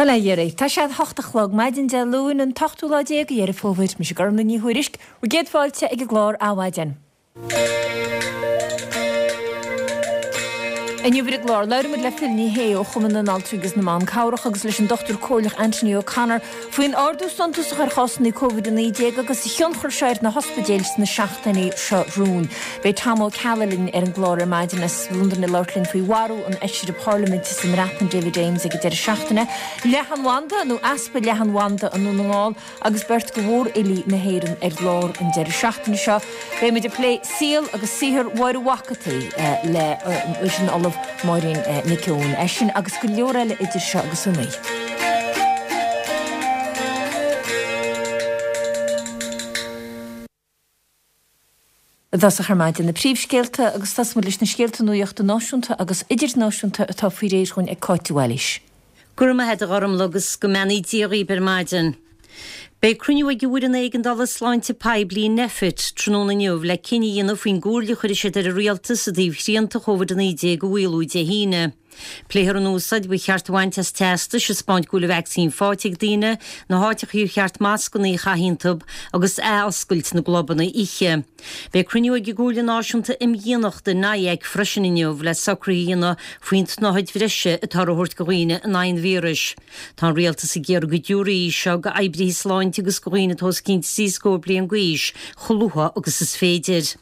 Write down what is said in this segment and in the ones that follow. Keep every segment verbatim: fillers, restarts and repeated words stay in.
Bhuel, a Dhéirí, tá sé a hocht a chlog maidin Dé Luain an t-ochtú lá déag de Dheireadh Fómhair. Mise Gormlaith Ní Thuairisg, bhur gcéad fáilte ag an gclár Adhmhaidin. Inniu ar an gclár, labhróimid le Phil Ní Sheaghdha ó Chumann na nAltraí agus na mBan Cabhrach agus leis an Dochtúir Comhairleach Anthony O'Connor faoin ardú suntasach ar chásanna Covid a naoi déag agus a thionchar seo ar na hospidéil sna seachtainí seo romhainn. Beidh Tom Ó Ceallaigh linn ar an gclár ar maidin as Londain ag labhairt linn faoi mharú an fheisire parlaiminte sa mBreatain David Davis ag an deireadh seachtaine, leathanbhanda nó easpa leathanbhanda i nDún na nGall agus beirt de mhórfhilí na hÉireann ar lár an deireadh seachtaine seo. Beimid ag plé saol agus saothar Mháire Mhac an tSaoi le leis an Ollamh Máirín Nic Eoin. É sin agus go leor eile idir seo agus a naoi. I dtosach ar maidin na príomhscéalta agus tosóimid leis na scéalta nuachta náisiúnta agus idirnáisiúnta atá faoi réir dhúinn ag Cáit de Bhailís. Go raibh maith agat a Ghormlaith agus go mbeannaí Dia dhaoibh ar maidin. Beidh cruinniú ag an bhFoireann Éigeandála Sláinte Poiblí, Nphet, tráthnóna inniu le cinneadh a dhéanamh faoin gcomhairle a chuirfidh siad ar an rialtas i dtaobh shrianta Chóvid a naoi déag a mhaolú Dé hAoine. Pléifear an úsáid ba cheart a bhaint as teastais ag 'spáint go bhfuil an vacsaín faighte ag daoine, na háiteachaí ar cheart mascanna a chaitheamh iontu agus athoscailt na gclubanna oíche. Beidh cruinniú ag an gComhairle Náisiúnta Imdhíonachta, NIAC, freisin inniu le socruithe a dhéanamh faoin tsnáthaid bhreise atáthar a thabhairt do dhaoine in aghaidh an víris. Tá an rialtas ag iarraidh go dtabharfaí í seo d'oibrithe sláinte agus do dhaoine atá os cionn trí scór bliain d'aois chomh luath agus is féidir.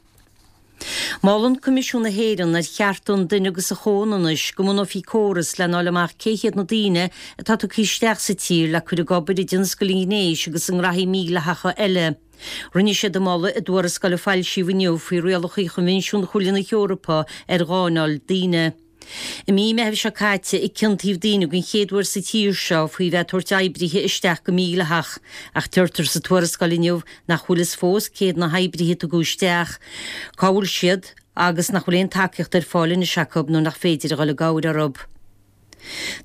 Molann Coimisiún na hÉireann ar Chearta an Duine agus an Chomhionannais go mbunófaí córas lena fháil amach cé hiad na daoine atá tugtha isteach sa tír le cur ag obair i dtionscal an ghnéis agus i ngraithí mídhleathacha eile. Rinne siad an moladh i dtuarascáil a foilsíodh inniu faoi rialacha Choinbhinsiún Chomhairle na hEorpa ar Gháinneáil Daoine. I mí Meithimh seo caite a ciontaíodh daoine den chéad uair sa tír seo faoi bheith ag tabhairt oibrithe isteach go mídhleathach, ach deirtear sa tuarascáil inniu nach bhfuil fhios fós cé hiad na hoibrithe a tugadh isteach, cá bhfuil siad agus nach bhfuil aon tacaíocht ar fáil anois acu nuair nach féidir a dhul i gcabhair orthu.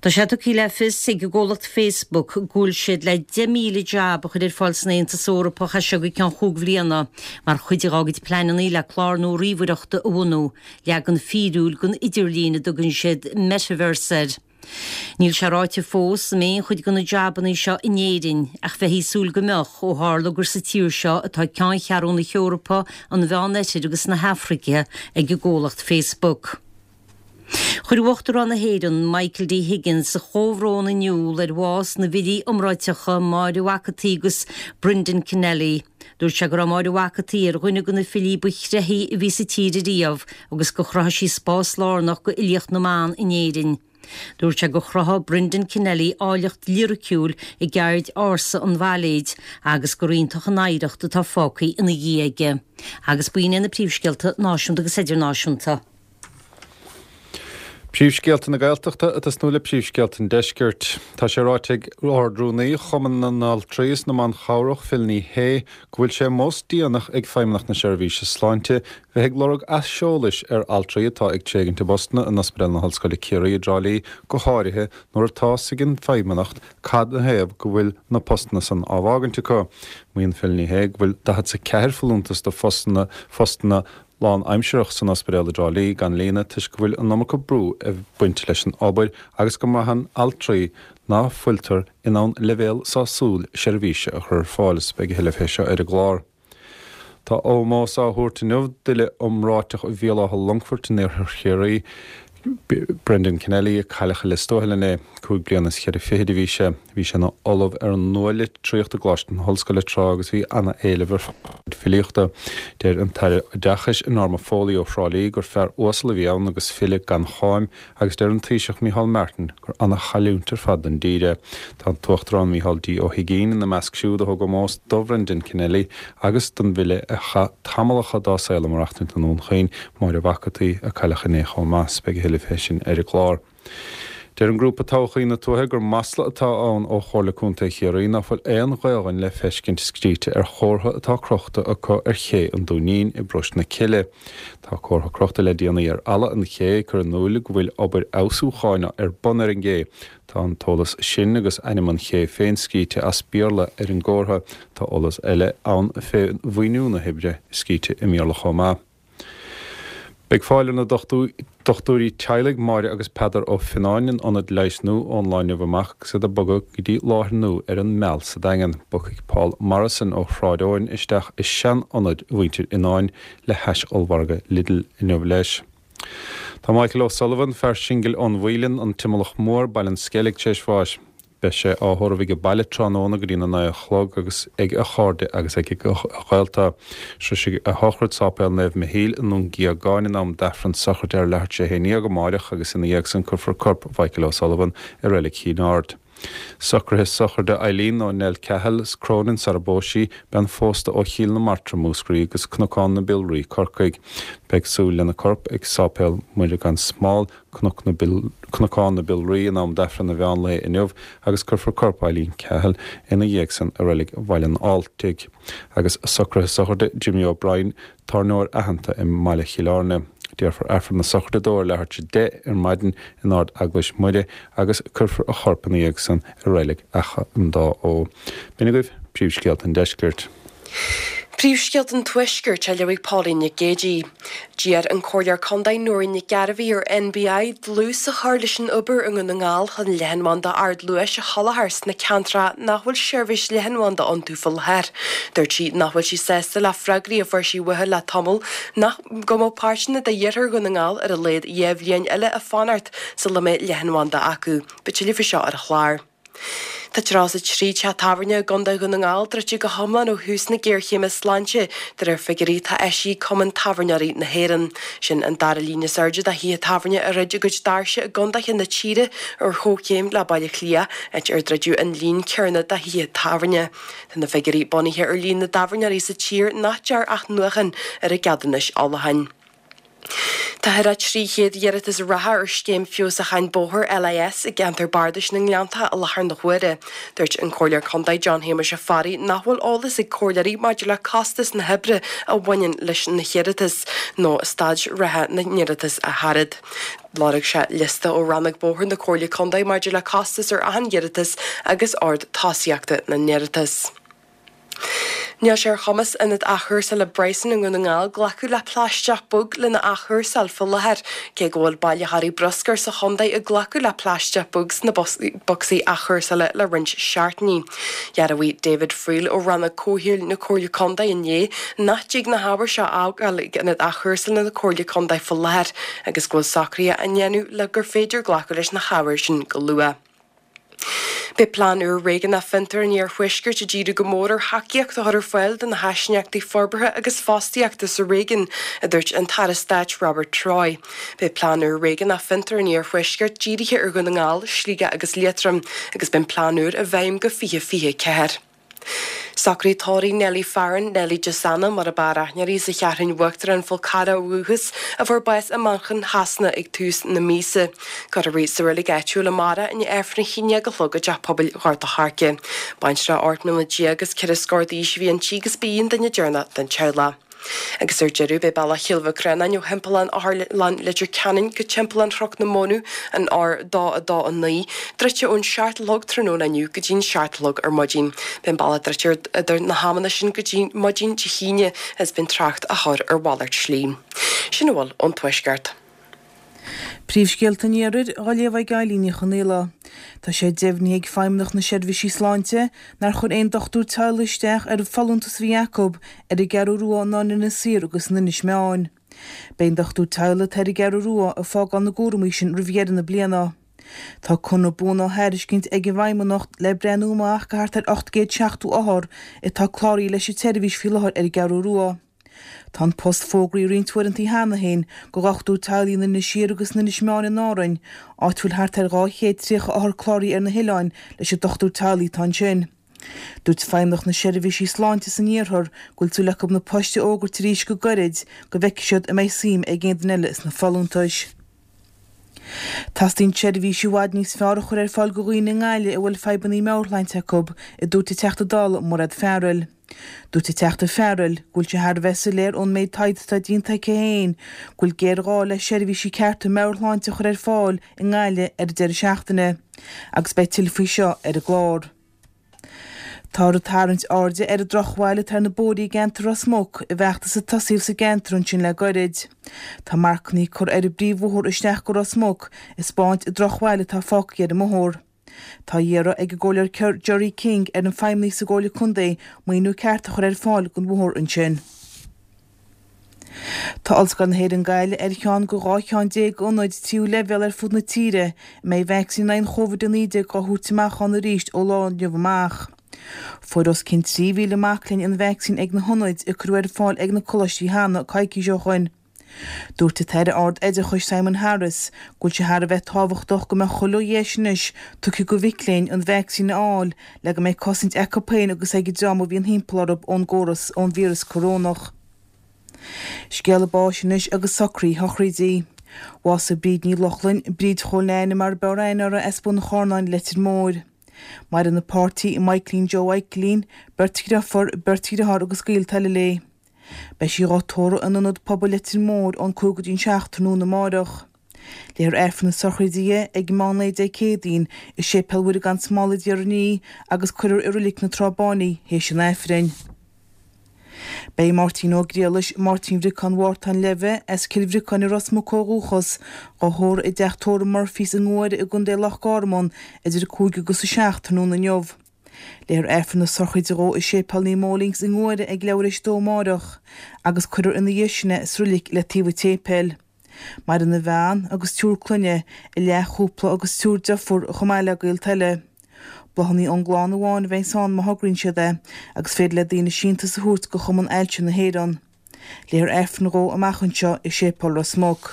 Tá sé tugtha le fios ag an gcomhlacht Facebook go bhfuil siad le deich míle jab a chur ar fáil san Aontas Eorpach as seo go ceann chúig bhliana mar chuid dá gcuid pleananna le clár nua ríomhaireachta a bhunú, leagan fíriúil den idirlíon a dtugann siad Metaverse air. Níl sé ráite fós an mbeidh aon chuid de na jabanna seo in Éirinn, ach bheifí ag súil go mbeadh, ó tharla gur sa tír seo atá ceanncheathrú na hEorpa, an Mheán-Oirthir agus na hAfraice ag an gcomhlacht Facebook. Chuir Uachtarán na hÉireann, Michael D. Higgins, a chomhbhrón in iúl ar bhás na bhfilí iomráiteacha Máire Mhac an tSaoi agus Brendan Kennelly. Dúirt sé go raibh Máire Mhac an tSaoi ar dhuine de na filí ba thréithí a bhí sa tír ariamh agus gur chruthaigh sí spás lárnach d'fhilíocht na mban in Éirinn. Dúirt sé gur chruthaigh Brendan Kennelly áilleacht liriciúil i gceird ársa an bhailéid agus gur iontach an oidhreacht atá fágtha ina dhiaidh aige. Agus b'in iad na príomhscéalta náisiúnta agus idirnáisiúnta. Príomhscéalta na Gaeltachta ag tosnú le príomhscéalta an Deiscirt. Tá sé ráite ag Ard-Rúnaí Chumann na nAltraí is na mBan Chabhrach, Phil Ní Sheaghdha, go bhfuil sé mós déanach ag Feidhmeannacht na Seirbhíse Sláinte bheith ag lorg aiseolais ar altraí atá ag tréigint a bpostanna in Ospidéal na hOllscoile Ciarraí i dTrá Lí, go háirithe nuair atá 's ag an bhFeidhmeannacht cad 'na thaobh go bhfuil na postanna san á bhfágaint acu. Maíonn Phil Ní Sheaghdha go bhfuil daichead 's a ceathair folúntas do phostanna phostanna lánaimsearach san ospidéal i dTrá Lí gan líonadh toisc go bhfuil an iomarca brú ag baint leis an obair agus go mbraitheann altraí ná fuiltear in ann leibhéal sásúil seirbhíse a chur ar fáil is beidh a thuilleadh fé seo ar an gclár. Tá ómós á thabhairt inniu d'fhile iomráiteach Bhéal Átha Longfoirt in iarthar Chiarraí, Brendan Kennelly, a cailleadh i Lios Tuathail inné. Cúig bliana is ceithre fichid a bhí sé. Bhí sé ina ollamh ar an nua-litríocht i gColáiste na hOllscoile tráth agus bhí ana-éileamh ar chuid filíochta. Deir an tAire Oideachais Norma Foley ó Thrá Lí gur fear uasal a bhí ann agus file gan cháim agus deir an Taoiseach Micheál Martin gur ana-chailliúint ar fad don dtír é. Tá an tUachtarán Micheál D. Ó hUigínn ina measc siúd a thug ómós do Bhrendan Kennelly agus don bhfile a chaith tamallacha dá saol ag maireachtaint i nDún Chaoin, Máire Mhac an tSaoi, a cailleadh inné chomh maith. Beidh a thuilleadh fé sin ar an gclár. Deir an grúpa Todhchaí na Tuaithe gur masla atá ann ó Chomhairle Contae Chiarraí ná fuil aon Ghaelainn le feiscint scríte ar chomhartha atá crochta acu ar ché an Dúinín i bParóiste na Cille. Tá comhartha crochta le déanaí ar fhalla an ché ag cur in iúl go bhfuil obair fheabhsúcháin ar bun ar an gcé. Tá an t-eolas sin agus ainm an ché féin scríte as Béarla ar an gcomhartha. Tá eolas eile ann fé mhaoiniú na hoibre scríte i mBéarla chomh maith. Beidh fáil ar na Dochtúirí teaghlaigh Máire agus Peadar Ó Fionnáin in ionad leighis nua ón lá inniu amach agus iad ag bogadh go dtí láthair nua ar an Meal sa Daingean. Bogfaidh Paul Morrison ó Shráid Eoin isteach i sean-ionad mhuintir Fhionnáin le hais ollmhargadh Lidl inniu leis. Tá Michael O'Sullivan, fear singil ón Mhaoilinn, an Timileach Mór, Baile an Sceilg, tar éis bháis. Beidh sé á thórramh ag baile tráthnóna go dtína naoi a chlog agus ag a chairde agus ag a ghaolta. Sroisfidh a shochraid Sáipéal Naomh Michíl i nDún Gíogáin in am d'Aifreann sochraide ar leathuair tar éis a haon déag amáireach agus ina dhiaidh san cuirfear corp Mhichael O'Sullivan i Reilig Chinn Aird. Socruithe sochraide Eileen nó Nell Cahill Cronin sara bpós sí, bean phósta ó Chill na Martra, Múscraí agus Cnocán na Biolraí, Corcaigh. Beidh súil lena corp ag Sáipéal Muire gan Smál, Cnoc na Bil Cnocán na Biolraí in am d'Aifreann an mheán lae inniu agus cuirfear corp Eileen Cahill ina dhiaidh san i Reilig Bhaile an Fháltaigh. Agus socruithe sochraide Jimmy O'Brien, tábhairneoir aitheanta i mBaile Chill Airne. Déarfar Aifreann na sochraide dó ar leathuair tar éis a deich ar maidin in Ard Eaglais Muire agus cuirfear a chorp ina dhiaidh san i Reilig Achadh an Dá Fheó. B'in agaibh príomhscéalta an deiscirt. Príomhscéalta an Tuaiscirt á léamh ag Pauline Nic Géadaigh. D'iarr an Comhairleoir Contae Nóirín Nic Gairbheith ar N B I dlús a chur leis an obair i nDún na nGall chun leathanbhanda ardluais a sholáthar sna ceantracha nach bhfuil seirbhís leathanbhanda iontu faoi láthair. Dúirt sí nach bhfuil sí sásta le freagraí a fuair sí uathu le tamall nach go mbeadh páirteanna d'iarthar Dhún na nGall ar a laghad dhá bhliain eile ag fanacht sula mbeidh leathanbhanda acu. Beidh tuilleadh faoi seo ar an chlár. Tá tríocha a trí teach tábhairne i gContae Dhún na nGall druidte go hiomlán ó thús na géarchéime sláinte de réir figiúirí atá eisithe ag Cumann Tábhairneoirí na hÉireann. Sin an dara líon is airde de thithe tábhairne a dhruid a gcuid doirse i gcontaetha na tíre ar chomhchéim le Baile Átha Cliath, áit ar druideadh an líon céanna de thithe tábhairne. Tá na figiúirí bunaithe ar líon na dtábhairneoirí sa tír nach ndearna athnuachan ar a gceadúnais ólacháin. Tá thar a trí chéad iarratas reatha ar scéim feabhsúcháin bóthair L I S i gceantar bardais na nGleannta i láthair na huaire. Dúirt an Comhairleoir Contae John Shéamuis Ó Fearraigh nach bhfuil eolas ag comhairleoirí maidir le costas na hoibre a bhaineann leis na hiarratais nó staid reatha na n-iarratas a thairfead. Lorg sé liosta ó rannóg bóthair na Comhairle Contae maidir le costas ar achan iarratas agus ord tosaíochta na n-iarratas. Níl sé ar chumas ionad athchúrsála Bryson i nDún na nGall glacadh le plaisteach bog lena athchúrsáil faoi láthair, cé go bhfuil bailitheoirí bruscair sa chontae ag glacadh le plaisteach bog sna bocsaí athchúrsála le roinnt seachtainí. Dhearbhaigh David Friel ó rannóg comhshaoil na Comhairle Contae inné nach dtig na hábhair seo a fhágáil ag ionad athchúrsála na Comhairle Contae faoi láthair agus go bhfuil socruithe á ndéanamh le gur féidir glacadh leis na hábhair sin go luath. Beidh plean úr réigiúnach fiontar an Iarthuaiscirt ag díriú go mór ar thacaíocht a chur ar fáil do na háisineachtaí forbartha agus fostaíochta sa réigiún, a dúirt an tAire Stáit Robert Troy. Beidh plean úr réigiúnach fiontar an Iarthuaiscirt dírithe ar Dhún na nGall, Sligeach agus Liatroim, agus beidh plean úr i bhfeidhm go fiche fiche ceathair. Socraí tórraimh Nelly Farron, Nelly Gisana mar ab fhearr aithne uirthi sa Cheathrú Uachtarach an Fhál Carrach ó dhúchas a fuair bás i Manchain Shasana ag tús na míosa. Cuirfear í sa reilig áitiúil amárach i ndiaidh Aifreann a haon déag a chlog i dteach pobail Ghort a' Choirce. Baintreach ocht mbliana déag agus ceithre scór d'aois a bhí inti agus ba í an duine deireanach den teaghlach. Agus ar deireadh beidh bealach Chill Mhic Réanáin ó Thimpeallán Otharlann Leitir Ceanainn go Timpeallán Chnoc na Mónadh an R dó a dó a naoi, druidte ón seacht a chlog tráthnóna inniu go dtí'n seacht a chlog ar maidin. Beidh an bealach druidte idir na hamanna sin go dtí maidin Dé hAoine is beidh trácht á chur ar mhalairt slí. Sin a bhfuil ón tuaisceart. Príomhscéalta an Iarthair á léamh ag Eilín Ní Chonaola. Tá sé deimhnithe ag Feidhmeannacht na Seirbhísí Sláinte nár chuir aon dochtúir teaghlaigh isteach ar folúntas a bhí acu ar an gCeathrú Rua ná in Inis Oírr agus in Inis Meáin. Beidh an dochtúir teaghlaigh atá ar an gCeathrú Rua ag fágáil na gcúraimí sin roimh dheireadh na bliana. Tá conradh buan á thairiscint ag an bhFeidhmeannacht le breathnú amach go thart ar ocht gcéad seachtó othar atá cláraithe leis an tseirbhís faoi láthair ar an gCeathrú Rua. Tá an post fógraithe roinnt uaireanta cheana féin go dhochtúir teaghlaigh in Inis Oírr agus in Inis Meáin in Árainn, áit bhfuil thart ar dhá chéad tríocha othar cláraithe ar na hoileáin leis an dochtúir teaghlaigh atá ansin. Dúirt Feidhmeannacht na Seirbhísí Sláinte san iarthar go bhfuil súil acu na poist a fhógairt arís go gairid go bhfeicfidh siad an mbeidh suim ag aon duine eile sna folúntais. Teastaíonn seirbhísí i bhfad níos fearr a chur ar fáil go dhaoine i nGaillimh a bhfuil fadhbanna meabhairshláinte acu, a dúirt an Teachta Dála Mairéad Farrell. Dúirt an Teachta Farrell go bhfuil sé thar a bheith soiléir ón méid taighde atá déanta aici féin go bhfuil géarghá le seirbhísí cearta meabhairshláinte a chur ar fáil i nGaillimh ar an deireadh seachtaine, agus beidh tuilleadh faoi seo ar an gclár. Táthar ag tarraingt airde ar an drochbhail atá ar na bóithre i gceantar Ros Muc i bhfeachtas a tosaíodh sa gceantar ansin le goirid. Tá marcanna curtha ar an bpríomhbhóthar isteach go Ros Muc ag 'spáint an drochbhail atá fágtha ar an mbóthar. Tá á iarraidh ag an gComhairleoir Gerry King ar na feidhmeannaigh sa gComhairle Contae maoiniú ceart a chur ar fáil don bhóthar ansin. Tá Ollscoil na hÉireann Gaillimh ar cheann de dhá cheann déag d'ionaid tríú leibhéal ar fud na tíre a mbeidh vacsaín in aghaidh an Chóivid a naoi déag á thabhairt amach ann arís ó lá inniu amach. Fuair os cionn trí mhíle mac léinn an vacsaín ag na hionaid a cuireadh ar fáil ag na coláistí cheana coicís ó shoin. Dúirt an tAire Ard-Oideachais Simon Harris go bhfuil sé thar a bheith tábhachtach go mbeadh chuile dheis anois tugtha do mhic léinn an vacsaín a fháil le go mbeidh cosaint acu féin agus ag an dream a bhíonn thimpeall orthu ón gcóras ón víreas corónach. Scéala báis anois agus socruithe sochraide. Bhásaigh Bríd Ní Lochlainn, Bríd Chóil Neaine mar ab fhearr aithne uirthi as Bun an Charnáin, Leitir Móir. Maireann a páirtí, Michaelín Joe Mhichaelín, beirt dheirfiúr, beirt dheartháir agus gaolta eile léi. Beidh sí dhá tórramh in Ionad Pobail Leitir Móir ón cúig go dtí an seacht tráthnóna amáireach. Léifear Aifreann na sochraide di ag meán lae Dé Céadaoin i Séipéal Mhuire gan Smál i dTír an Fhia agus cuirfear i Reilig na Trá Báine í théis an Aifrinn. Beidh Máirtín Ó Griallais, Máirtín Bhriocáin Mhártáin Leimhe, as Cill Bhriocáin i Ros Muc ó dhúchas, dhá thórramh i dteach tórraimh Murphy's i nGuaire i gContae Loch Garman idir a cúig agus a seacht tráthnóna inniu. Léifear Aifreann na sochraide dhó i Séipéal Naomh Molings i nGuaire ag leathuair théis a dó amáireach agus cuirfear ina dhiaidh sin é sa reilig le taobh an tséipéil. Maireann a bhean agus triúr clainne, a leathchúpla agus triúr deirfiúr chomh maith le gaolta eile. Bláthanna ón gclann amháin a bheas ann má thograíonn siad é agus féidir le daoine síntiús a thabhairt go Chumann Ailse na hÉireann. Léifear Aifreann dhó amach anseo i Séipéal Ros Muc.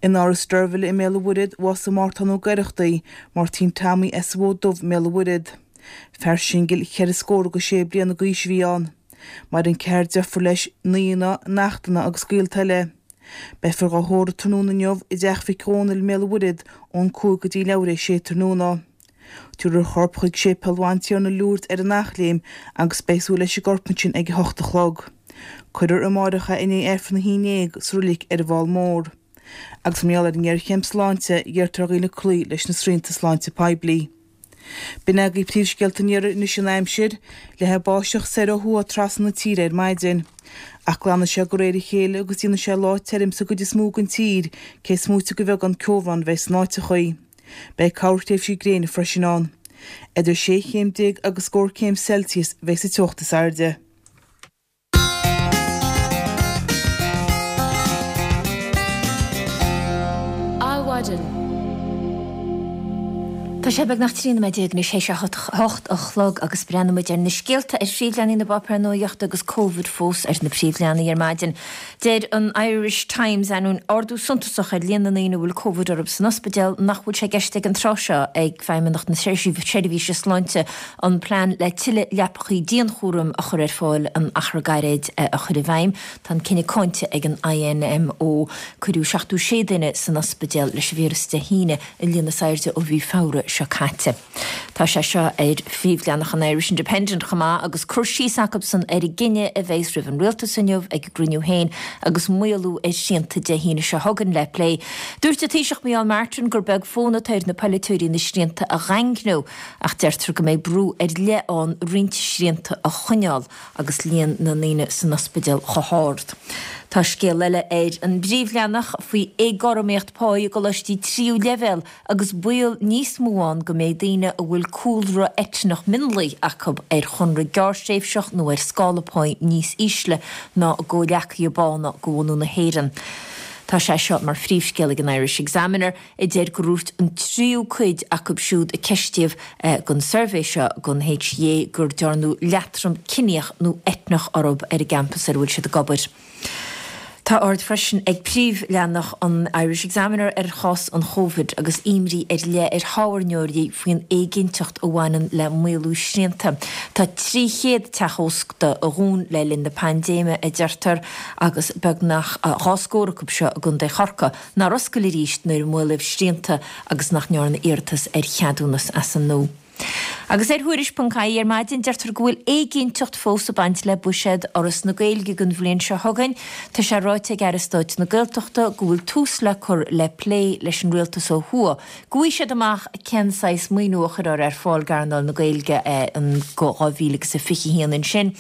In Áras Deirbhile i mBéal an Mhuirthead, bhásaigh Mártán Ó Gaireachtaigh, Máirtín Tommy as an Bhfód Dubh i mBéal an Mhuirthead. Fear singil cheithre scór agus sé bliana d'aois a bhí ann. Maireann ceathrar deirfiúr leis, naíonna, neachtanna agus gaolta eile. Beifear dhá thórramh tráthnóna inniu i dTeach Mhic Dhónaill i mBéal an Mhuirthead ón cúig go dtí leathuair théis a sé tráthnóna. Tabharfar a chorp chuig Séipéal Bhantiarna Lourdes ar an Eachléim agus beidh súil leis an gcorp ansin ag a hocht a chlog. Cuirfear amáireach é i ndiaidh Aifreann a haon déag sa reilig ar an bhFál Mór. Agus mar gheall ar an ngéarchéim sláinte, iarrtar ar dhaoine cloí leis na srianta sláinte poiblí. B'in agaibh príomhscéalta an iarthair anois an aimsir. Leathfaidh báisteach soir ó thuaidh trasna na tíre ar maidin. Ach glanfaidh sé de réir a chéile agus déanfaidh sé lá tirim sa gcuid is mó den tír, cé is móite de bheagán ceobhrán a bheidh san áiteachaí. Beidh corrthréimhsí gréine freisin ann. Idir sé chéim déag agus scór céim Celsius a bheidh sa teocht is airde. Adhmhaidin. Tá sé beagnach trí nóiméad déag anois théis a hocht a chlog agus breathnóidh muid ar na scéalta ar phríomhleathanaigh na bpáipéar nuachta agus Covid fós ar na príomhleathanaigh ar maidin. Deir an Irish Times, ainneoin ardú suntasach ar líon na ndaoine a bhfuil Covid orthu san ospidéal, nach bhfuil sé i gceist ag an tráth seo ag Feidhmeannacht na Seirbhíse Sláinte an plean le tuilleadh leapachaí dianchúraim a chur ar fáil in achar gairid a chur i bhfeidhm. Tá an cinneadh cáinte ag an I N M O. Cuireadh seachtó sé duine san ospidéal leis an víreas Dé hAoine, an líon is airde ó mhí Feabhra seo caite. Tá sé seo ar phríomhleathanach an Irish Independent chomh maith agus cur síos acusan ar an gcinneadh a bheas roimh an rialtas inniu ag a gcruinniú féin agus maolú ar shrianta Dé hAoine seo chugainn le plé. Dúirt an Taoiseach Micheál Martin gur beag fonn atá ar na polaiteoirí na srianta a dhaingniú ach deirtear go mbeidh brú ar leith ann roinnt srianta a choinneáil agus líon na ndaoine san ospidéal chomh hard. Tá scéal eile ar an bpríomhleathanach faoi éagothromaíocht pá i gcoláistí tríú leibhéal agus baol níos mó ann go mbeidh daoine a bhfuil cúlra eitneach mionlaigh acu ar chonradh gearrthréimhseach nó ar scála pá níos ísle ná a gcomhghleacaithe bána de bhunadh na hÉireann. Tá sé seo mar phríomhscéal ag an Irish Examiner, a deir gur dhúirt an tríú cuid acu siúd a ceistíodh don suirbhé seo don H E A gur dearnadh leatrom ciníoch nó eitneach orthu ar an gcampas ar a bhfuil siad ag obair. Tá aird freisin ag príomhleathanach an Irish Examiner ar chás an Chóivid agus imní ar leith ar thábhairneoirí faoin éiginnteacht a bhaineann le maolú srianta. Tá trí chéad teach ósta a dhún le linn na paindéime, a deirtear, agus beagnach dhá scór acu seo i gContae Chorcaí nár oscail arís nuair a maolaíodh srianta agus nach ndearna iarratas ar cheadúnas as an nua. Agus ar Thuairisc ponc ie ar maidin deirtear go bhfuil éiginnteacht fós ag baint le buiséad Fhoras na Gaeilge don bhliain seo chugainn. Tá sé ráite ag Aire Stáit na Gaeltachta go bhfuil tús le cur le plé leis an rialtas ó thuaidh. Go bhfaighidh siad amach cén saghas maoiniú a chuirfear ar fáil d'earnáil na Gaeilge in dhá mhíle agus a fiche haon ansin.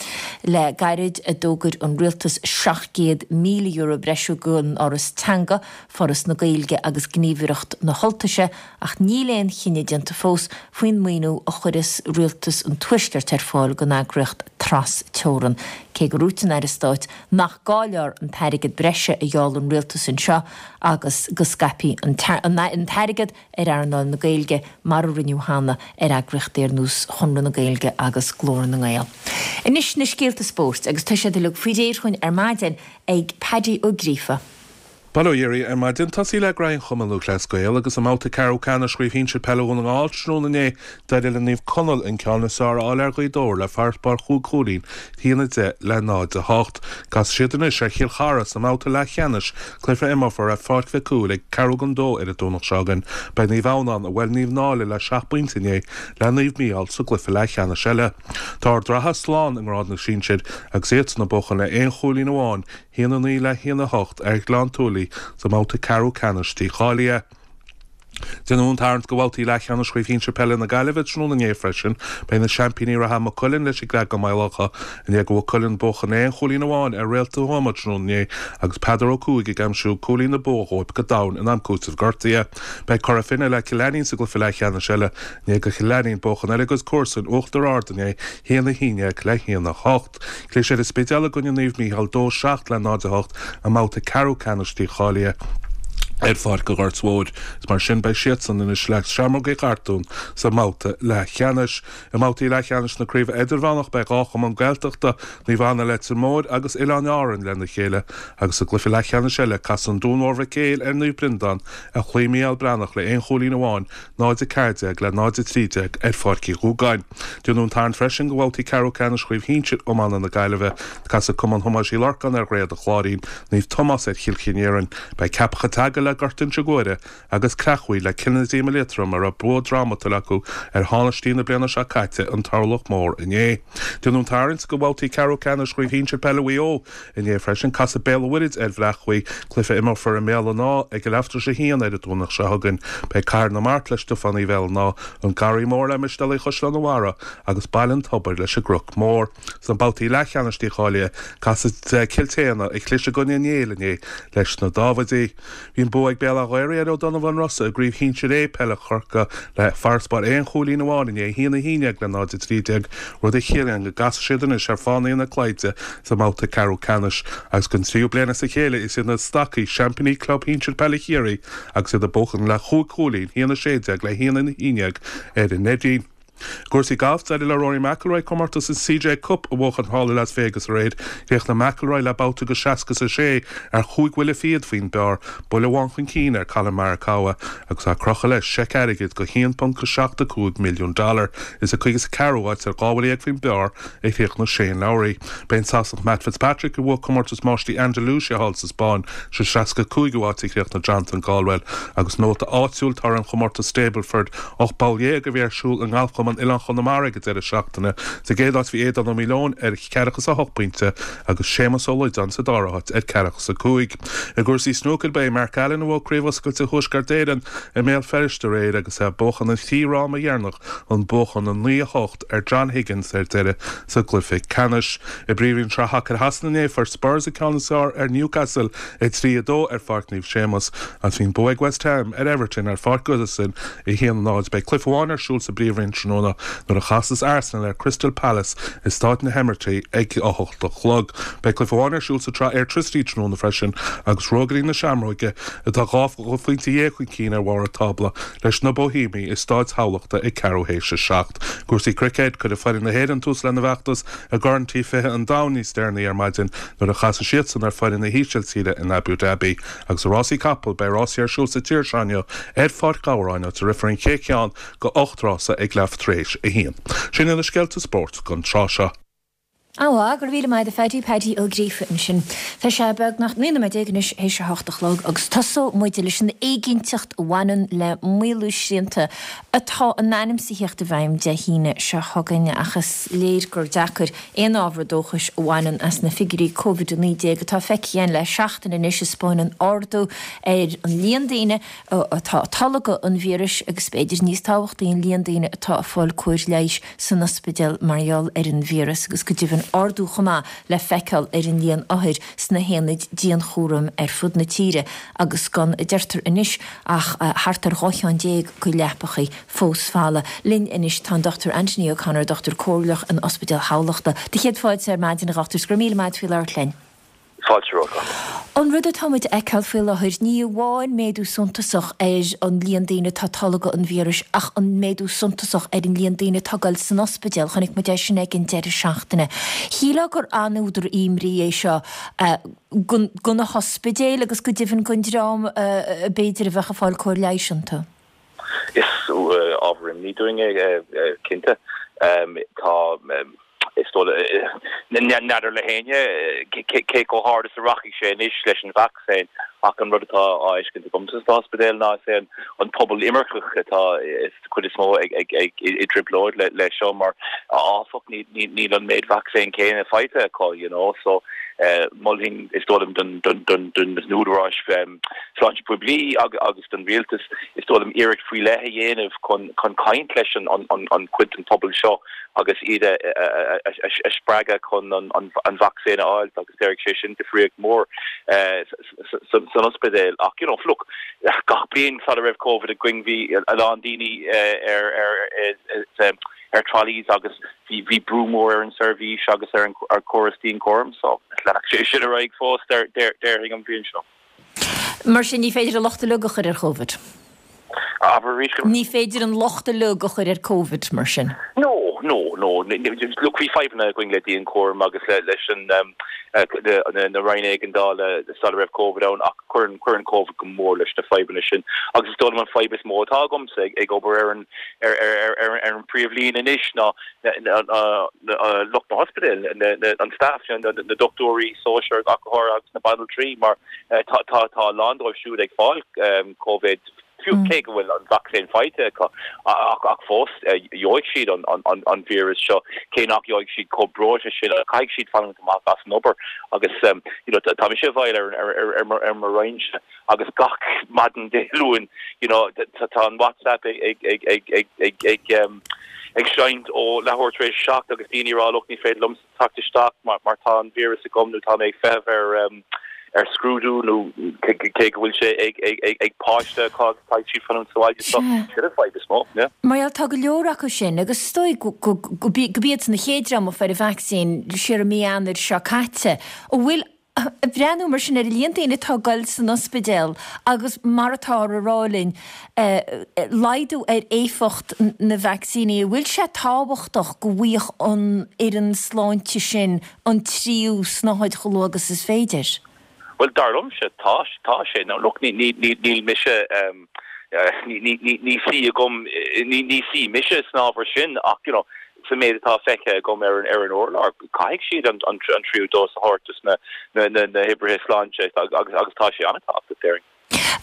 Le gairid a d'fhógair an rialtas seacht gcéad míle euro breise don Fhoras Teanga, Foras na Gaeilge agus Gníomhaireacht na hUltaise ach níl aon chinneadh déanta fós faoin maoiniú a chuirfeas rialtas an Tuaiscirt ar fáil don eagraíocht tras-teorann, cé gur dhúirt an Aire Stáit nach gá leo an t-airgead breise a gheall an rialtas anseo agus go scaipfí an t-airgead ar earnáil na Gaeilge mar a rinneadh cheana ar eagraíochtaí ar nós Chonradh na Gaeilge agus Glór na nGael. Anois na scéalta spóirt agus tá siad uilig faoi réir chugainn ar maidin ag Paddy Ó Gríofa. Bail ó Dhia oraibh ar maidin. Tosaí le graithe an Chumann Lúthchleas Gael agus i mbabhta ceathrú ceannais Chraobh Shinsir Peile Dhún na nGall tráthnóna inné d'éirigh le Naomh Conaill an ceann is fearr a fháil ar Ghaoth Dobhair le farasbarr chúig chúilín, a haon a deich le náid a hocht. Casfaidh siad anois ar Chill Chartha sa mbabhta leathcheannais, cluiche a imreofar ar Pháirc Mhic Cumhaill ag ceathrú don dó ar an Domhnach seo chugainn. Beidh Naomh Adhamhnáin, a bhuail Naomh Náille le seacht bpointe inné, le Naomh Mícheál sa gcluiche leathcheannais eile. Tá Ard Ratha slán i ngrád na sinsir agus iadsan ag buachan le aon chúilín amháin, a haon a naoi le haon a hocht ar Ghleann tSúilí sa mbabhta ceathrú ceannais dícháilithe. Déanadh an tarraingt do bhabhtaí leathcheannais Chraobh Shinsir Peile na Gaillimhe tráthnóna inné freisin. Beidh na seaimpíní reatha Maigh Cuilinn leis an gCreagán Maigh Locha i ndiaidh do Mhaigh Cuilinn buachan le aon chúilín amháin ar Réalta Thuama tráthnóna inné agus Peadar Ó Cuaig ag aimsiú cúilín na bua dhóibh go domhain in am cúitimh gortaithe. Beidh Cora Finne le Cill Ainnín sa gcluiche leathcheannais eile i ndiaidh do Chill Ainnín buachan ar a gcuid comharsan Uachtar Ard inné, a haon a haon déag le haon a hocht. Chlis ar an Spidéal i gcoinne Naomh Mícheál dó seacht le náid a hocht i mbabhta ceathrú ceannais dícháilithe ar Pháirc an Ghoirt Mhóir. Is mar sin beidh siadsan anois le Seamróga Uí Chartúin sa mbabhta leathcheannais. I mbabhtaí leathcheannais na Craoibhe Idirmheánach beidh dhá chumann Gaeltachta, Naomh Anna Leitir Móir agus Oileáin Árann lena chéile agus sa gcluiche leathcheannais eile casfaidh an Dún Mór Mhic Éil ar Naomh Breandán a chloígh Mícheál Breathnach le aon chúilín amháin, náid a ceathair déag le náid a trí déag ar Pháirc Uí Dhúgáin. Déanadh an tarraingt freisin do bhabhtaí ceathrú ceannais Chraobh Shinsir Iomána na Gaillimhe. Casfaidh Cumann Thomáis Uí Lorcáin ar Dhroichead an Chláirín, Naomh Tomás ar Chill Chinéarain. Beidh Ceapach an tSeagail le Gort Inse Guaire agus Creachmhaoil le Cill na Díoma Liatroim a raibh bua drámatúil acu ar thánaistí na bliana seo caite, an Turlach Mór, inné. Déanadh an tarraingt do bhabhtaí ceathrú ceannais Chraobh Shinsir Peile Mhaigh Eo inné freisin. Casfaidh Béal an Mhuirthead ar Bhleá Cliath, cluiche a imreofar i mBéal an Átha ag a leathuair tar éis a haon ar an Domhnach seo chugainn. Beidh Cathair na Mart le Stiofánaigh Bhéal an Átha, an Garraí Mór le Mistéalaigh Chaisleán an Bharraigh agus Baile an Tobair leis an gCnoc Mór. Sna babhtaí leathcheannais dícháilithe, casfaidh Cill tSéadhna, a chlis i gcoinne an Néill inné, leis na Dáibhidí. Bhí an bua ag Béal Átha Ghaorthaidh ar Ó Donnabháin Rosa i gCraobh Shinsir A Peile Chorcaí le farasbarr aon chúilín amháin inné, a haon a haon déag le náid a trí déag, rud a chiallaíonn go gcasfaidh siad anois ar Fánaithe na Cloiche sa mbabhta ceathrú ceannais agus don tríú bliain as a chéile is iad na Stacaigh seaimpíní club shinsir peile Chiarraí agus iad ag buachan le chúig chúilín, a haon a sé déag le a haon a haon déag ar an Neidín. I gcúrsaí gailf, d'éirigh le Rory McIlroy comórtas an C J Cup a bhuachan thall i Las Vegas aréir. Chríochnaigh McIlroy le babhta de seasca is a sé ar chúig bhuille fichead faoin bpar, buille amháin chun cinn ar Collin Morikawa agus á crochadh leis seic airgid de haon ponc a seacht a cúig milliún dollar. Is sa caoga is a ceathrú háit ar dhá bhuille dhéag faoin bpar a chríochnaigh Shane Lowry. B'é an Sasanach Matt Fitzpatrick a bhuaigh comórtas Máistrí Andalusia thall sa Spáinn. Sa seasca cúigiú háit a chríochnaigh Jonathan Caldwell agus nóta áitiúil toradh an chomórtais Stableford ocht bpoll dhéag a bhí ar siúl i nGalfchumann Oileán Chonamara ag an deireadh seachtaine. Sa gcéad áit bhí Aodán Ó Maoileoin ar ceathracha is a hocht pointe agus Séamus Ó Loideáin sa dara háit ar ceathracha is a cúig. I gcúrsaí snúcair ba é Mark Allen a bhuaigh Craobh Oscailte Thuaisceart Éireann i mBéal Feirste aréir agus é ag buachan an trí fhráma dheireanach chun buachan a naoi a hocht ar John Higgins ar deireadh sa gcluiche ceannais. I bPríomhroinn Sraith Hacair Shasana inné fuair Spurs an ceann is fearr ar Newcastle a trí a dó ar Pháirc Naomh Séamus agus bhí an bua ag West Ham ar Everton ar Pháirc Goodison a haon a náid. Beidh cluiche amháin ar siúl sa bPríomhroinn tráthnóna nuair a chasas Arsenal ar Crystal Palace i Staid na hImeartha ag a hocht a chlog. Beidh cluiche amháin ar siúl sa tsraith Airtricity tráthnóna freisin agus Ruagairí na Seamróige atá dhá phointe dhéag chun cinn ar bharr an tábla leis na Boihéamaigh i Staid Thamhlachta ag ceathrú théis a seacht. Cúrsaí cruicéid, Cuirfidh foireann na hÉireann tús lena bhfeachtas i gCorn T fiche an Domhain níos deireanaí ar maidin nuair a chasfaidh siadsan ar foireann na hÍsiltíre in Abu Dhabi. Agus i rásaí capall, beidh rásaí ar siúl sa tír seo inniu ar Pháirc Ghabhráin áit a rithfear an chéad cheann de ocht rása ag leath tar éis a haon. Sin iad na scéalta spóirt don tráth seo. Á, go raibh míle maith agat a Phaddy, Paddy Ó Gríofa ansin. Tá sé beagnach naoi nóiméad déag anois théis a hocht a chlog agus tosóidh muid leis an éiginnteacht a bhaineann le maolú srianta atá in ainm is a theacht i bhfeidhm Dé hAoine seo chugainn ach is léir gur deacair aon ábhar dóchais a bhaineann as na figiúirí Covid a naoi déag atá feicthe againn le seachtain anois a 'spáineann ardú ar an líon daoine atá ag tolgadh an víris agus b'fhéidir níos tábhachtaí an líon daoine atá ag fáil cóir leighis san ospidéal mar gheall ar an víreas agus go deimhin ardú chomh maith le feiceáil ar an líon othair sna haonaid dianchúraim ar fud na tíre agus gan, a deirtear anois, ach thart ar dhá cheann déag de leapachaí fós folamh. Linn anois tá an Dochtúir Anthony O'Connor, Dochtúir Comhairleach in Ospidéal Thamhlachta. Do chéad fáilte ar maidin, a Dhochtúir, 's go raibh míle maith agat faoi labhairt linn. Fáilte romhat. An rud atá muid a fheiceáil faoi láthair, ní amháin méadú suntasach ar an líon daoine atá ag tolgadh an víris ach an méadú suntasach ar an líon daoine atá ag dul san ospidéal, chonaic muid é sin ag an deireadh seachtaine. Shílfeá gur an-údar imní é seo do na hospidéil agus go deimhin don dream b'fhéidir a bheadh ag fáil cóir leighis iontu. Is ábhar imní dúinn é, cinnte. Tá. Is dóigh, n'fheadar le héinne cé chomh hard is a rachaidh sé anois leis an vacsaín ach an rud atá á fheiscint agamsa san ospidéal ná is é an pobal imirceach atá is cuid is mó ag ag ag i dtrioblóid le le seo mar áfach níl an méid vacsaín céanna faighte acu you know so mholfainn is dóigh liom don don don don na údaráis sláinte poiblí agus don rialtas is dóigh liom iarracht faoi leith a dhéanamh chun chun caint leis an an an cuid den pobal seo agus iad a spreagadh chun an vacsaín a fháil agus déarfaidh sé sin difríocht mhór san ospidéal. Ach you know look, gach bliain sula raibh Covid againn bhí a lán daoine ar ar ar trolleys agus bhí bhí brú mór ar an seirbhís agus ar an córas dianchúraim so leanfaidh sé sin ar aghaidh fós déarfainn an bhliain seo. Mar sin ní féidir an locht uilig a chur ar Covid. Abair arís go. Ní féidir an locht uilig a chur ar Covid mar sin. No, no, no. Look, bhí fadhbanna againn le dianchúram agus le leis an na roinn éigeandála sula raibh Covid ann ach cuireann cuireann Covid go mór leis na fadhbanna sin. Agus is dóigh liom an fadhb is mó atá agamsa ag ag obair ar an ar ar ar ar an príomhlíne anois ná lucht na hospidéal, an staff, na dochtúirí sóisir ach go háirithe agus na banaltraí mar tá tá tá a lán dóibh siúd ag fáil Covid fiú cé go bhfuil an vacsaín faighte acu ach ach fós gheobhaidh siad an an an víreas seo cé nach gheobhaidh siad chomh breoite sin caithfidh siad fanacht amach as an obair agus you know tá mise i bhfeighil ar ar ar ar mo roinnse agus gach maidin Dé Luain you know tá an WhatsApp ag ag ag ag ag ag ag ag seinnt ó leathuair tar éis a seacht agus daoine ag rá look ní féidir liomsa teacht isteach mar mar tá an víreas agam nó tá mé ag feitheamh ar ar scrúdú nó cé go bhfuil sé ag ag ag ag páiste acu agus caithfidh siad fanúint sa bhaile so sin an fadhb is mó yeah. Mar gheall tá go leor acu sin agus is dóigh go go go go b'iad na chéad dream a fuair an vacsaín siar i mí Eanáir seo caite. An bhfuil Ag breathnú mar sin ar an líon daoine atá ag goil san ospidéal agus mar atáthar a rá linn, laghdú ar éifeacht na vacsaíní, an bhfuil sé tábhachtach go bhfaigheadh an fhoireann sláinte sin an tríú snáthaid chomh luath agus is féidir? Bhuel, dar liomsa, tá, tá sé. Now look, ní, ní, ní, níl mise, ní, ní, ní, ní suí agam, ní, ní suí mise san ábhar sin ach, you know, Sa méid atá feicthe agam ar an ar an urlár, caithfidh siad an an tríú dós a thabhairt dos na na na hoibrithe sláinte agus agus tá sé an-tábhachtach, déarfainn.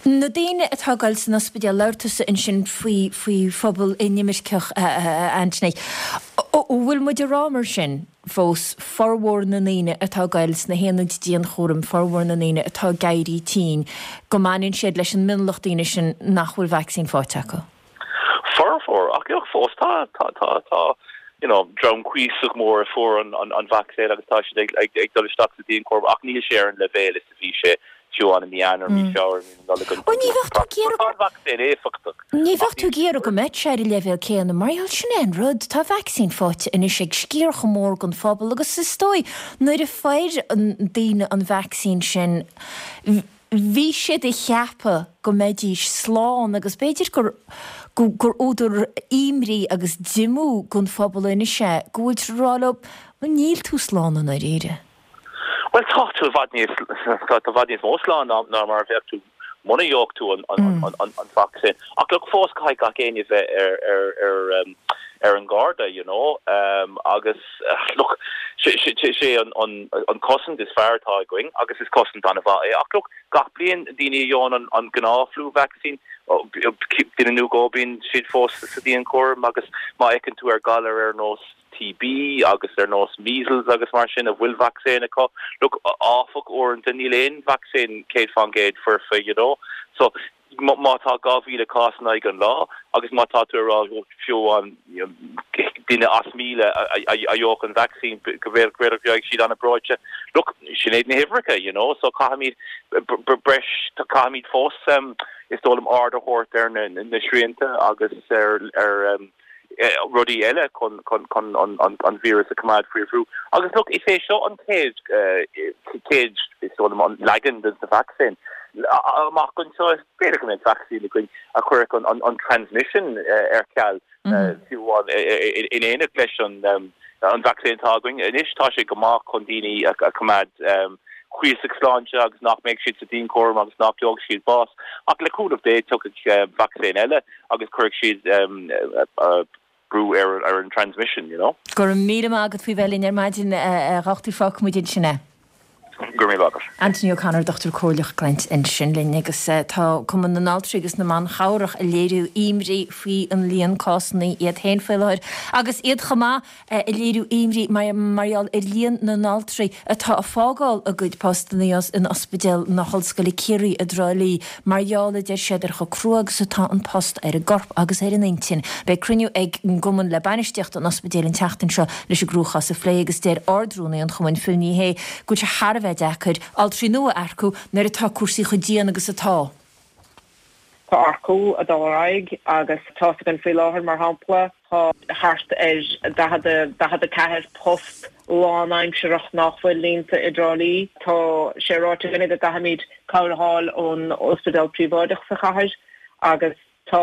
Na daoine atá ag goil san ospidéal, labhair tusa ansin faoi faoi phobal inimirceach, a Anthony. An bhfuil muid ag rá mar sin fós, formhór na ndaoine atá ag goil sna haonaid dianchúraim, formhór na ndaoine atá ag éirí tinn, go mbaineann siad leis an mionlach daoine sin nach bhfuil vacsaín faighte acu? Formhór, ach ach fós tá tá tá tá you know dream cuíosach mór a fuair an an an vacsaín agus tá siad ag ag ag dul isteach sa dianchúram ach níl sé ar an leibhéal is a bhí sé fiú amháin i mí Eanáir, mí Feabhra, mí na Nollag an Ó ní bheadh tú ag iarraidh Tá an vacsaín éifeachtach Ní bheadh ach tú ag iarraidh go mbeadh sé ar an leibhéal céanna mar gheall sin é an rud, tá vacsaín faighte anois ag sciar chomh mór den phobal agus is dóigh nuair a fuair an daoine an vacsaín sin Bhí siad ag ceapadh go mbeidís slán agus b'fhéidir gur gur údar imní agus díomá don phobal anois é go bhfuiltear ag rá leo, bhuel níl tú slán i ndáiríre. Bhuel tá tú i bhfad níos tá tú i bhfad níos mó slán ná ná mar a bheadh tú muna ngeobhadh tú an an an an vacsaín. Ach look fós caithfidh gach éinne bheith ar ar ar ar an Garda, you know, um, agus uh, look, sé an, an, an cosaint is fearr atá againn agus is cosaint an-mhaith é. Ach look, gach bliain daoine a fhaigheann an, an gnáth flu vaccine duine nó dhó bíonn siad fós sa dianchúram agus má fhéachann tú ar galar ar nós T B agus ar nós measles agus mar sin a bhfuil vacsaín acu. Look, áfach uaireanta níl aon vacsaín céad faoin gcéad foirfe, you know. So má tá dhá mhíle cás in aghaidh an lá agus má tá tú rá fiú an duine as míle a fhaigheadh an vaccine go bhfuil siad an-bhreoite. Look, sin iad na huimhreacha, you know, so caithfimid breis caithfimid fós um, is dóigh liom aird a thabhairt ar na, na srianta agus ar ar um, rudaí eile chun chun chun an an an víreas a choimeád faoi bhrú. Agus look, is é seo an chéad chéad is dóigh liom an leagan den sa vaccine. Amach anseo b'fhéidir go mbeidh vaccine againn a chuirfeadh an, an, an transmission ar ceal fiú in éineacht leis an um, an vaccine atá againn. Anois tá sé go maith chun daoine a choimeád um, cuíosach sláinte agus nach mbeidh siad sa dianchúram agus nach bhfaighidh siad bás. Ach le cúnamh Dé tiocfaidh vacsaín eile agus cuirfidh siad um, uh, brú ar ar an transmission, you know. Go raibh míle maith agat faoi bheith linn ar maidin a dhochtúir fágfaimid ansin é. Gur mé agat. Anthony O'Connor dochtúir comhairleach ag caint ansin linn agus tá Cumann na nAltraí agus na mBan Chabhrach ag léiriú imní faoi an líon cásanna iad féin faoi láthair agus iad chomh maith ag léiriú imní mar gheall ar líon na n-altraí atá ag fágáil a gcuid postanna in Ospidéal na hOllscoile Ciarraí i dTrá Lí mar gheall a deir siad ar chomh crua agus atá an post ar an gcorp agus ar an intinn. Beidh cruinniú ag an gcumann le bainistíocht an ospidéil an tseachtain seo leis an gcruachás a phlé agus deir Ard-Rúnaí an Chumainn Phil Ní Sheaghdha go bhfuil sé thar a bheith deacair altraí nua a earcú nuair atá cúrsaí chomh dian agus atá. Tá earcú ag dul ar aghaidh agus tá againn faoi láthair mar shampla tá thart ar daichead a ceathair post lánaimsearach nach bhfuil líonta i dTrá Lí. Tá sé ráite againne go gcaithfimid cabhair a fháil ón ospidéal príobháideach sa chathair agus tá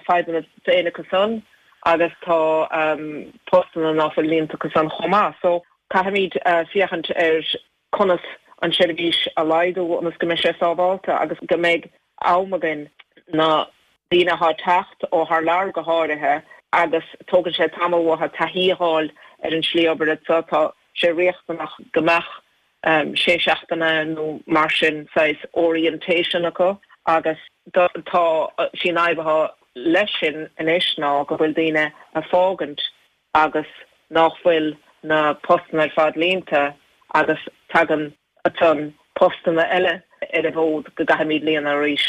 fadhbanna féin acu san agus tá um, postanna nach bhfuil líonta acu san chomh maith. So caithfimid uh, féachaint ar conas an seirbhís a laghdú ionas go mbeidh sé sábháilte agus go mbeidh am againn na daoine atá ag teacht ó thar lear go háirithe agus tógann sé tamall uathu taithí a fháil ar an slí oibre so tá sé riachtanach go mbeadh um, sé seachtaine nó mar sin saghas orientation acu agus tá sin aibethe leis sin anois ná go bhfuil daoine ag fágaint agus nach bhfuil na postanna ar fad líonta agus tagann ansan postanna eile ar an bhfód go gcaithfimid líonadh arís.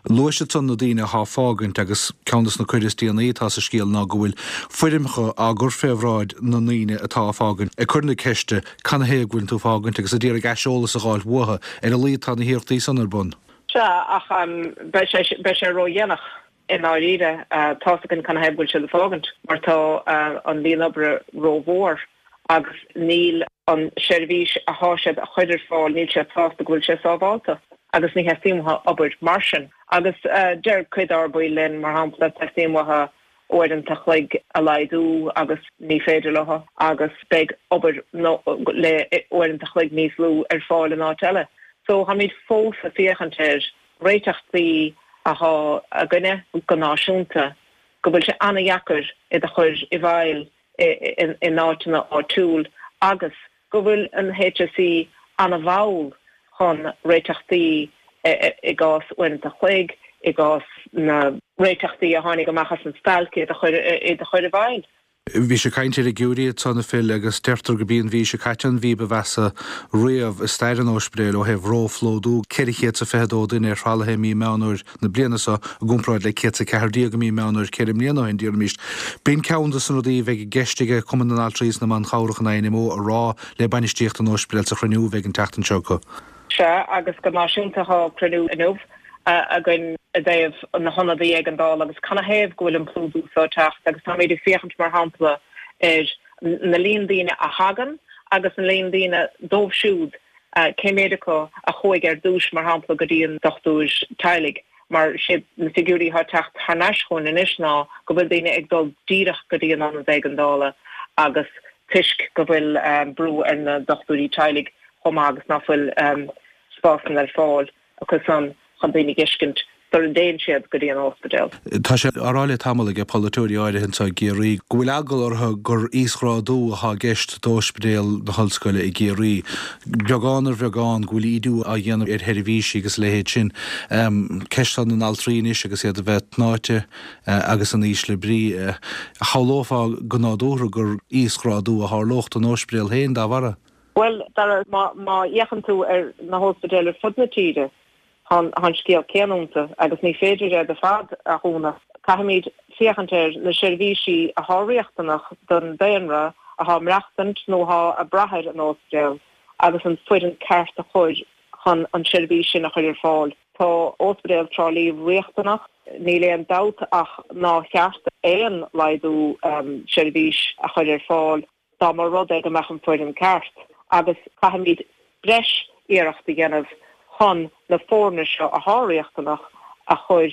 Luaigh siad na daoine atá ag fágaint agus ceann de na coir is déanaí atá sa scéal ná go bhfuil foirmeacha á gcur fé bhráid na ndaoine atá ag fágaint ag cur na ceiste canathaobh go bhfuil tú ag fágaint agus ag iarraidh aiseolas a fháil uathu ar a laghad tá na hiarrachtaí san ar bun. Sea ach um, beidh sé ródhéanach i ndáiríre uh, tá againn canathaobh go bhfuil siad ag fágaint mar tá uh, an líon oibre rómhór agus níl an seirbhís atá siad a chur ar fáil níl sé sásta go bhfuil sé sábháilte agus ní theastaíonn uathu obair mar sin. Agus uh, deir cuid dár mbaill linn mar shampla teastaíonn uathu uaireanta an chloig a laghdú agus ní féidir leo agus beidh obair no, le uaireanta an chloig níos lú ar fáil in áit eile. So táimid fós ag féachaint ar réiteachtaí atá againne go náisiúnta go bhfuil sé an-deacair iad a chur i bhfeidhm in áiteanna áitiúil agus go bhfuil an H S E an-mhall chun réiteachtaí i gcás uaireanta an chloig i gcás na réiteachtaí a tháinig amach as an stailc iad a chur iad a chur i bhfeidhm. Bhí sé caint ar an ngeimhreadh ansan a Phil agus deirtear gurb í an mhí seo caite an mhí ba mheasa riamh i stair an ospidéil ó thaobh róphlódú ceithre chéad is fiche dó duine ar thralaithe mí Meán Fhómhair na bliana seo i gcomparáid le céad ceathair déag i mí Meán Fhómhair ceithre mbliana ó shin déarfaimis. B'in ceann de na rudaí a bheidh i gceist ag Cumann na nAltraí is na mBan Chabhrach an I N M O a rá le bainistíocht an ospidéil sa chruinniú a bheidh an tseachtain seo acu. Sea agus go náisiúnta tá cruinniú inniu againn i dtaobh na hionaid éigeandála agus canathaobh go bhfuil an plódú seo ag teacht agus táimid ag féachaint mar shampla ar na líon daoine a thagann agus na líon daoine dóibh siúd cé méid acu a chuaigh ar dtús mar shampla go dtí an dochtúir teaghlaigh mar sé na figiúirí atá ag teacht thar n-ais chugainn anois ná go bhfuil daoine ag dul díreach go dtí an ionad éigeandála agus toisc go bhfuil um, brú ar na dochtúirí teaghlaigh chomh maith agus nach bhfuil um, spásanna ar fáil acu san chun daoine a fheiscint sula dtéann siad go dtí an ospidéal. Tá sé á rá le tamall ag polaiteoirí áirithe anseo i gCiarraí go bhfuil eagal orthu gur íosghrádú atá i gceist d'Ospidéal na hOllscoile i gCiarraí. Beagán ar bheagán go bhfuil ídiú á dhéanamh ar sheirbhísí agus a leithéid sin. Ceist na n-altraí anois agus iad a bheith tnáite agus in ísle brí. Shamhlófá go nádúrtha gur íosghrádú a tharlódh don ospidéal féin dá bharra. Bhuel, Dara, má fhéachann tú ar na hospidéil ar fud na tíre, tá an scéal céanna iontu agus ní féidir iad ar fad a dhúnadh. Caithfimid féachaint ar na seirbhísí atá riachtanach don daonra atá ag maireachtaint nó atá ag brath ar an ospidéal agus an foireann ceart a chur chun an seirbhís sin a chur ar fáil. Tá Ospidéal Trá Lí riachtanach, níl aon dabht ach nár cheart aon laghdú seirbhís a chur ar fáil dá mba rud é go mbeadh an foireann ceart agus caithfimid breis iarracht a dhéanamh chun na foirne seo atá riachtanach a chur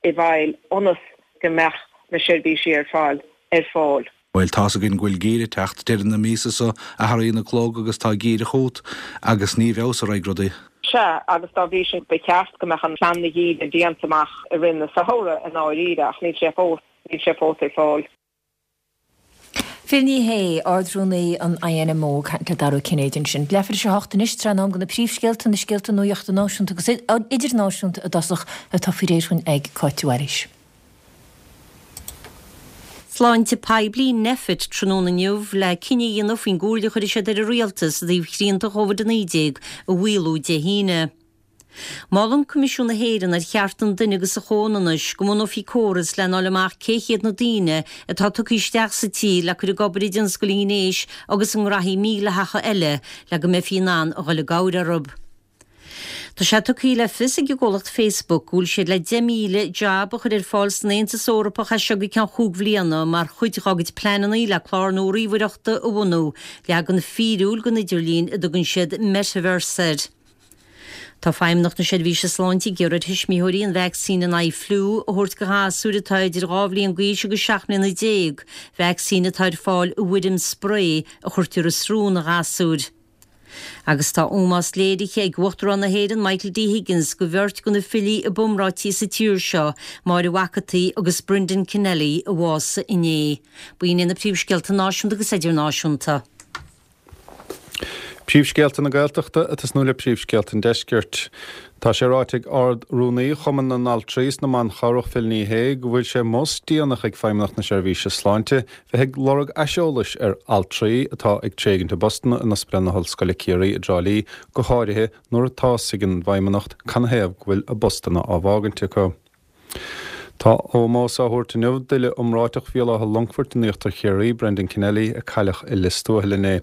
i bhfeighil ionas go mbeadh na seirbhísí ar fáil ar fáil. Bhuel, tá's againn go bhfuil geimhreadh ag teacht, deireadh na míosa so athraíonn na cloig agus tá geimhreadh chugat agus ní i bhfeabhas a raghaidh rudaí. Sea, agus dá bhrí sin ba cheart go mbeadh an plean do gheimhreadh déanta amach i rith na samhradh i ndáiríre ach níl sé fós, níl sé fós ar fáil. Phil Ní Sheaghdha, Ard-Rúnaí an INMO, ag caint le Dara Ó Cinnéide ansin. Leathuair tar éis a hocht anois, tráth in am do na príomhscéalta, na scéalta nuachta náisiúnta agus idirnáisiúnta i dtosach atá faoi réir dhúinn ag Cáit de Bhailís. Sláinte Poiblí, Nphet, tráthnóna inniu le cinneadh a dhéanamh faoin gcomhairle a chuirfidh siad ar an Rialtas i dtaobh shrianta Chóvid a naoi déag a mhaolú Dé hAoine. Molann Coimisiún na hÉireann ar Chearta an Duine agus an Chomhionannais go mbunófaí córas lena fháil amach cé hiad na daoine atá tugtha isteach sa tír le cur ag obair i dtionscal an ghnéis agus i ngraithí mídhleathacha eile le go mbeifí in ann a dhul i gcabhair orthu. Tá sé tugtha le fios ag an gcomhlacht Facebook go bhfuil siad le deich míle jab a chur ar fáil san Aontas Eorpach as seo go ceann chúig bhliana mar chuid dá gcuid pleananna le clár nua ríomhaireachta a bhunú, leagan fíriúil den idirlíon a dtugann siad Metaverse air. Tá Feidhmeannacht na Seirbhíse Sláinte ag iarraidh ar thuismitheoirí an vacsaín in aghaidh fliú a thabhairt do ghasúir atá idir dhá bhliain d'aois agus seacht mbliana déag, vacsaín atá ar fáil i bhfoirm sprae a chuirtear i srón an ghasúir. Agus tá ómós léirithe ag Uachtarán na hÉireann Michael D Higgins do bheirt de na filí ab iomráití sa tír seo, Máire Mhac an tSaoi agus Brendan Kennelly, a bhásaigh inné. B'in iad na príomhscéalta náisiúnta agus idirnáisiúnta. Príomhscéalta na Gaeltachta ag tosnú le príomhscéalta an Deiscirt. Tá sé ráite ag Ard-Rúnaí Chumann na nAltraí is na mBan Chabhrach Phil Ní Sheaghdha go bhfuil sé mós déanach ag Feidhmeannacht na Seirbhíse Sláinte bheith ag lorg aiseolais ar altraí atá ag tréigint a bpostanna in Ospidéal na hOllscoile Ciarraí i dTrá Lí, go háirithe nuair atá's ag an bhFeidhmeannacht canathaobh go bhfuil a bpostanna á bhfágaint acu. Tá ómós á thabhairt inniu d'fhile iomráiteach Bhéal Átha Longfoirt in Íochtar Chiarraí, Brendan Kennelly, a cailleadh i Lios Tuathail inné.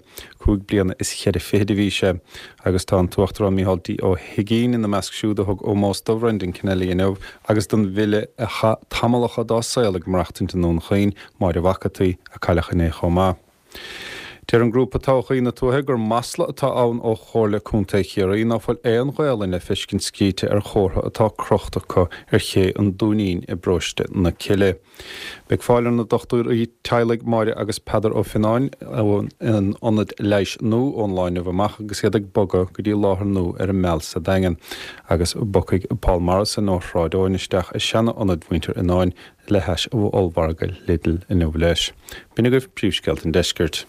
Cúig bliana is cheithre fichid a bhí sé. Agus tá an tUachtarán Micheál D. Ó hUigínn ina measc siúd a thug ómós do Bhrendan Kennelly inniu agus don bhfile a chaith tamallacha dá saol ag maireachtaint i nDún Chaoin, Máire Mhac an tSaoi, a cailleadh inné chomh maith. Deir an grúpa Todhchaí na Tuaithe gur masla atá ann ó Chomhairle Contae Chiarraí ná fuil aon Ghaolainn le feiscint scríte ar chomhartha atá crochta acu ar ché an Dúinín i bparóiste na Cille. Beidh fáil ar na dochtúirí teaghlaigh Máire agus Peadar Ó Fionnáin ón ionad leighis nua ón lá inniu amach agus iad ag bogadh go dtí láthair nua ar an Meal sa Daingean agus bogfaidh Paul Morrison ó Shráid Eoin isteach i seana-ionad mhuintir Fhionnáin le hais ollmhargadh Lidl inniu leis. B'in agaibh príomhscéalta an deiscirt.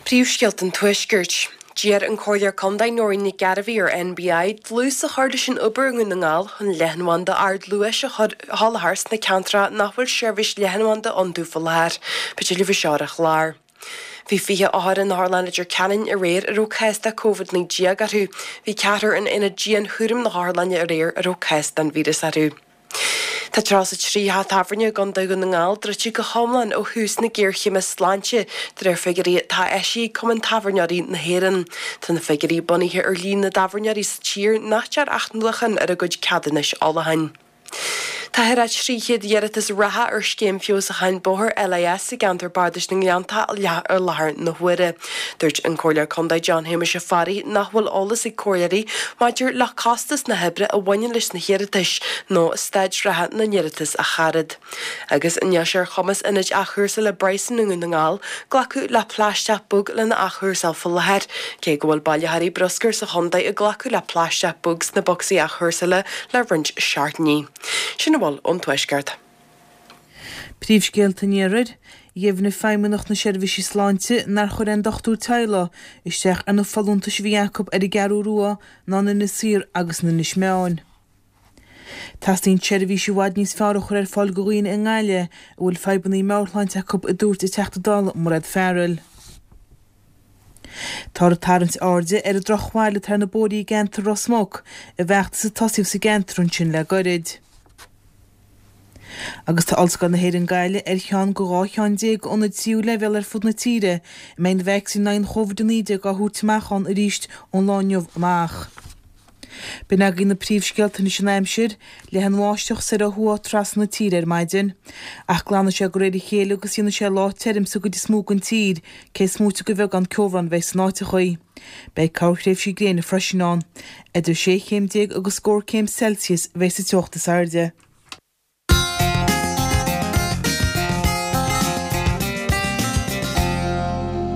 Príomhscéalta an Tuaiscirt. D'iarr an Comhairleoir Contae Nóirín Nic Gairbhí ar NBI dlús a chur leis an obair i nDún na nGall chun leathanbhanda ardluais a sholáthar sna ceantracha nach bhfuil seirbhís leathanbhanda iontu faoi láthair. Beidh tuilleadh faoi seo ar an chlár. Bhí fiche othar in Otharlann Leitir Ceanainn aréir a raibh cás de Covid naoi déag orthu. Bhí ceathrar in aonad dianchúraim na hotharlainne aréir a raibh cás den víreas orthu. Tá tríocha a trí theach tábhairne i gContae Dhún na nGall druidte go hiomlán ó thús na géarchéime sláinte, de réir figiúirí atá eisithe ag Cumann Tábhairneoirí na hÉireann. Tá na figiúirí bunaithe ar líon na dtábhairneoirí sa tír nach ndearnadh athnuachan ar a gcuid ceadúnais ólacháin. Tá thar a trí chéad iarratas reatha ar Scéim Feabhsúcháin Bóthair LIS i gceantar Bardais na nGleannta ar láthair na huaire. Dúirt an Comhairleoir Contae John Shéamuis Ó Fearraigh nach bhfuil eolas ag comhairleoirí maidir le costas na hoibre a bhaineann leis na hiarratais nó staid reatha na n-iarratas a charad. Agus níl sé ar chumas ionaid athchúrsála Bryson i nDún na nGall glacadh le plaisteach bog lena athchúrsáil faoi láthair, cé go bhfuil bailitheoirí bruscair sa chontae ag glacadh le plaisteach bog sna bocsaí athchúrsála le roinnt seachtainí. Sin a bhfuil ón Tuaisceart. Príomhscéalta an Iarthair, Dheimhnigh Feidhmeannacht na Seirbhísí Sláinte nár chuir aon dochtúir teaghlaigh isteach ar na folúntais a bhí acu ar an gCeathrú Rua ná in Inis Oírr agus in Inis Meáin. Teastaíonn seirbhísí i bhfad níos fearr a chur ar fáil do dhaoine i nGaillimh a bhfuil fadhbanna meabhairshláinte acu, a dúirt an Teachta Dála Mairéad Farrell. Táthar ag tarraingt airde ar an drochbhail atá ar na bóithrí i gceantar Ros Muc i bhfeachtas a tosaíodh sa gceantar ansin le gairid. Agus tá Ollscoil na hÉireann Gaillimh ar cheann de dhá cheann déag d'ionaid tríú leibhéal ar fud na tíre a mbeidh na vacsaíní in aghaidh an Chóivid a naoi déag á thabhairt amach ann arís ón lá inniu amach. B'in agaibh na príomhscéalta anois an aimsir, Leathfaidh an bháisteach soir ó thuaidh trasna na tíre ar maidin. Ach glanfaidh sé de réir a chéile agus déanfaidh sé lá tirim sa gcuid is mó den tír, cé is móite de bheagán ceobhrán a bheidh san áiteachaí. Beidh corrthréimhsí gréine freisin ann. Idir sé chéim déag agus scór céim Celsius a bheidh sa teocht is airde.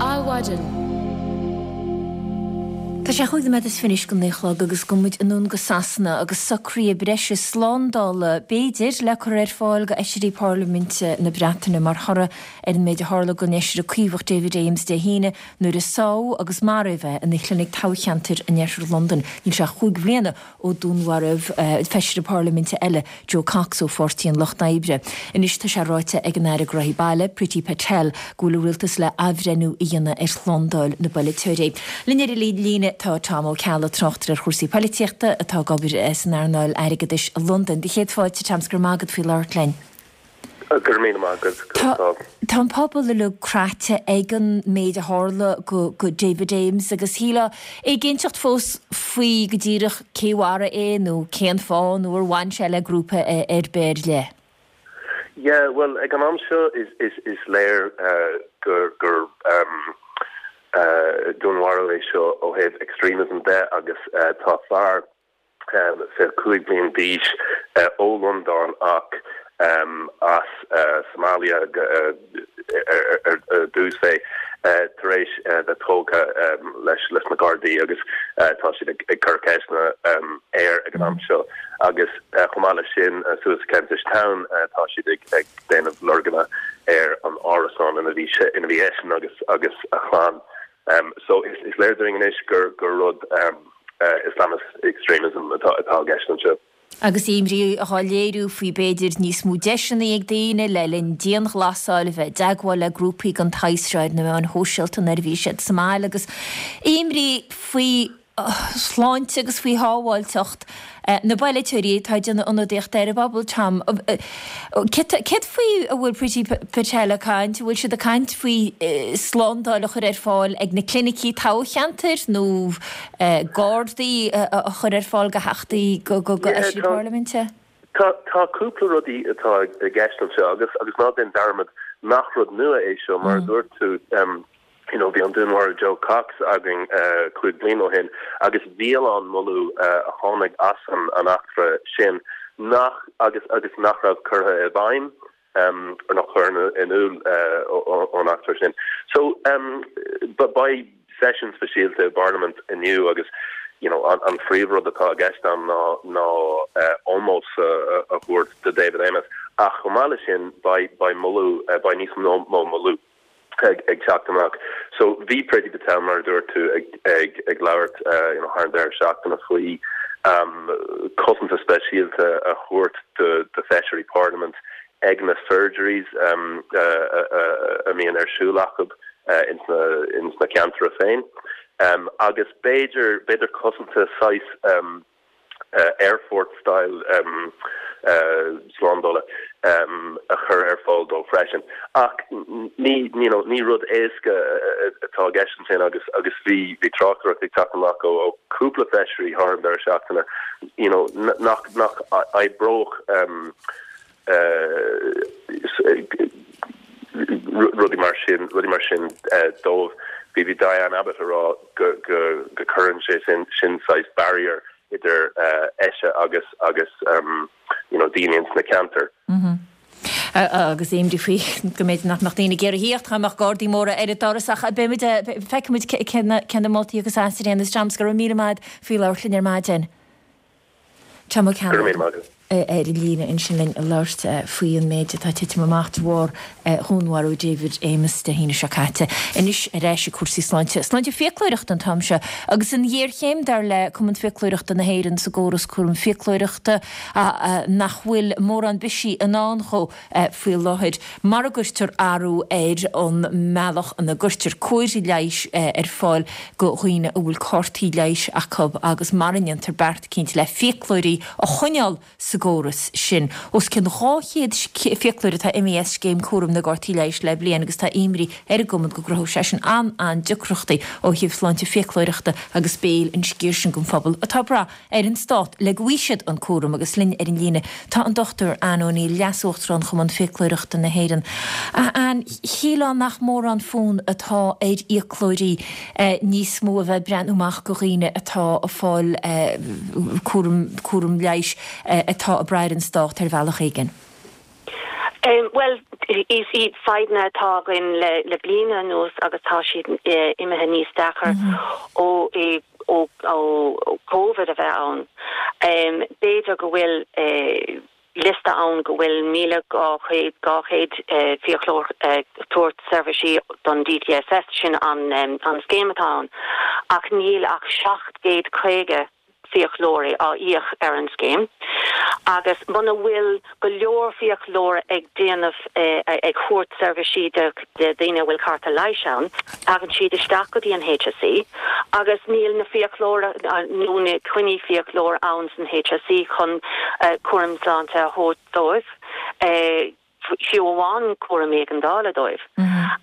Adhmhaidin. Tá sé chúig nóiméad is fiche anois go naoi a chlog agus gabhfaidh muid anonn go Sasana agus socruithe breise slándála, b'fhéidir, le cur ar fáil go fheisirí parlaiminte na Breataine mar thoradh ar an méid a tharla don fheisire Caomhach David Amess Dé hAoine nuair a sádh agus maraíodh é ina chlinic toghcheantair in oirthear Londain. Níl sé ach cúig bhliana ó dúnmharaíodh feisire parlaiminte eile, Jo Cox ó Pháirtí an Lucht Oibre. Anois tá sé ráite ag an Aire Gnóthaí Baile, Priti Patel, go bhfuil an rialtas le athbhreithniú a dhéanamh ar shlándáil na bpolaiteoirí. Linn ar an líne tá Tom Ó Ceallaigh, tráchtaire ar chúrsaí polaitíochta atá ag obair san earnáil airgeadais i Londain. Do chéad fáilte, Tom, 's go raibh maith agat faoi labhairt linn. Go raibh míle maith agat. Tá tá an pobal uilig craite ag an méid a tharla go go David Amess agus shílfeá éiginnteacht fós faoi go díreach cé mharaigh é nó cén fáth nó ar bhain sé le grúpa ar bith ar leith. Yeah, bhuel, ag an am seo is is is léir gur gur dúnmharú é seo ó thaobh extremism de agus tá fear fiche cúig bliain d'aois ó Londain ach as Somalia ar dtús é tar éis bheith tógtha leis leis na Gardaí agus tá siad ag cur ceisteanna air ag an am seo agus chomh maith leis sin suas i Kentish Town tá siad ag déanamh lorganna ar an árasán ina bhí sé ina bhí eisean agus agus a chlann. So is is léir dúinn anois gur gur rud Islamist extremism atá atá i gceist anseo. Agus imní á léiriú faoi b'fhéidir níos mó deiseanna ag daoine le linn dianghlasáil a bheith i dteagmháil le grúpaí den tsaghas seo ar na meáin shóisialta nuair a bhí siad sa mbaile agus imní faoi shláinte agus faoi shábháilteacht na bpolaiteoirí atá ag déanamh ionadaíochta ar an bpobal. Tom, céard faoi a bhfuil Priti Patel ag caint? An bhfuil siad ag caint faoi slándáil a chur ar fáil ag na clinicí toghcheantair nó gardaí a chur ar fáil go theachtaí, go fheisirí parlaiminte? Tá tá cúpla rudaí atá i gceist anseo agus agus ná déan dearmad nach rud nua é seo mar a dúirt tú you know bhí an dúnmharú Jo Cox againn cúig bliana ó shin agus bhí a lán moladh a tháinig as an an eachtra sin nach agus agus nach raibh curtha i bhfeidhm or nach cuireadh in iúl ón eachtra sin. So beidh seisiún speisialta i bParlaimint inniu agus you know an an phríomhrud atá i gceist ann ná ná ómós a thabhairt do David Amess ach chomh maith leis sin beidh beidh moladh beidh níos mó moladh ag ag teacht amach. So bhí Priti Patel mar a dúirt tú ag ag ag labhairt you know thar an deireadh seachtaine faoi cosanta speisialta a thabhairt do do feisirí Parlaimint ag na surgeries a mbíonn ar siúl acu ins na ins na ceantair féin agus b'fhéidir b'fhéidir cosanta saghas airport style slándála a chur ar fáil dóibh freisin. Ach ní you know ní rud éasca atá i gceist ansin agus agus bhí bhí tráchtaireacht ag teacht amach ó ó cúpla feisirí thar an deireadh seachtaine you know nach nach oibreodh rudaí mar sin rudaí mar sin dóibh. Bhí bhí Diane Abbott ag rá go go go cuireann sé sin sin saghas barrier idir ise agus agus um, you know, daoine ins na ceantair. Mm -hmm. agus imní faoi go mb'fhéidir nach mbeadh daoine ag iarraidh a theacht dá mbeadh gardaí móra ar an doras ach beimid feicfimid cé na moltaí agus as ar aon Thomas go raibh míle maith faoi labhairt linn ar maidin. Tom Ó Ceannaigh ar an líne ansin linn ag labhairt faoi an méid atá titim amach de bharr dhúnmharú David Amess Dé hAoine seo caite. Anois ar ais ag cúrsaí sláinte. Sláinte fiaclóireachta an t-am seo agus an ghéarchéim dar le Cumann Fiaclóireachta na hÉireann sa gcóras cúram fiaclóireachta nach bhfuil mórán bisigh i ndán dhó faoi láthair mar a gcuirtear athrú ar an mbealach ina gcuirtear cóir leighis ar fáil go dhaoine a bhfuil cártaí leighis acu agus mar a ndéantar beart eicínt le fiaclóirí a choinneáil sa gcóras sin. Os cionn dhá chéad fiaclóir atá imithe as scéim cúraim na gcártaí leighis le bliain agus tá imní ar an gcumann go gcruthóidh sé sin an-an-deacrachtaí ó thaobh sláinte fiaclóireachta agus béil an sciar sin den phobal atá ag brath ar an stát le go bhfaighidh siad an cúram agus linn ar an líne tá an Dochtúir Anne O'Neill, Leas-Uachtarán Chumann Fiaclóireachta na hÉireann. A Anne, shílfeá nach mórán fonn atá ar fhiaclóirí níos mó a bheith ag breathnú amach go dhaoine atá ag fáil cúram cúram leighis atá ag brath ar an stát ar bhealach éigin. Bhuel, is iad fadhbanna atá againn le le bliana anuas agus tá siad imithe níos deacra ó ó ó Covid a bheith ann. B'fhéidir go bhfuil liosta ann go bhfuil míle dhá chéad dhá chéad fiaclóir ag tabhairt seirbhísí don D T S S, sin an an scéim atá ann, ach níl ach seacht gcéad caoga fiaclóirí á íoc ar an scéim agus muna bhfuil go leor fiaclóir ag déanamh ag thabhairt seirbhísí do daoine a bhfuil cárta leighis ann, tagann siad isteach go dtí an H S E agus níl na fiaclóir nó na coinní fiaclóir ann san H S E chun cúram sláinte a thabhairt dóibh. Fiú amháin cúram éigeandála dóibh.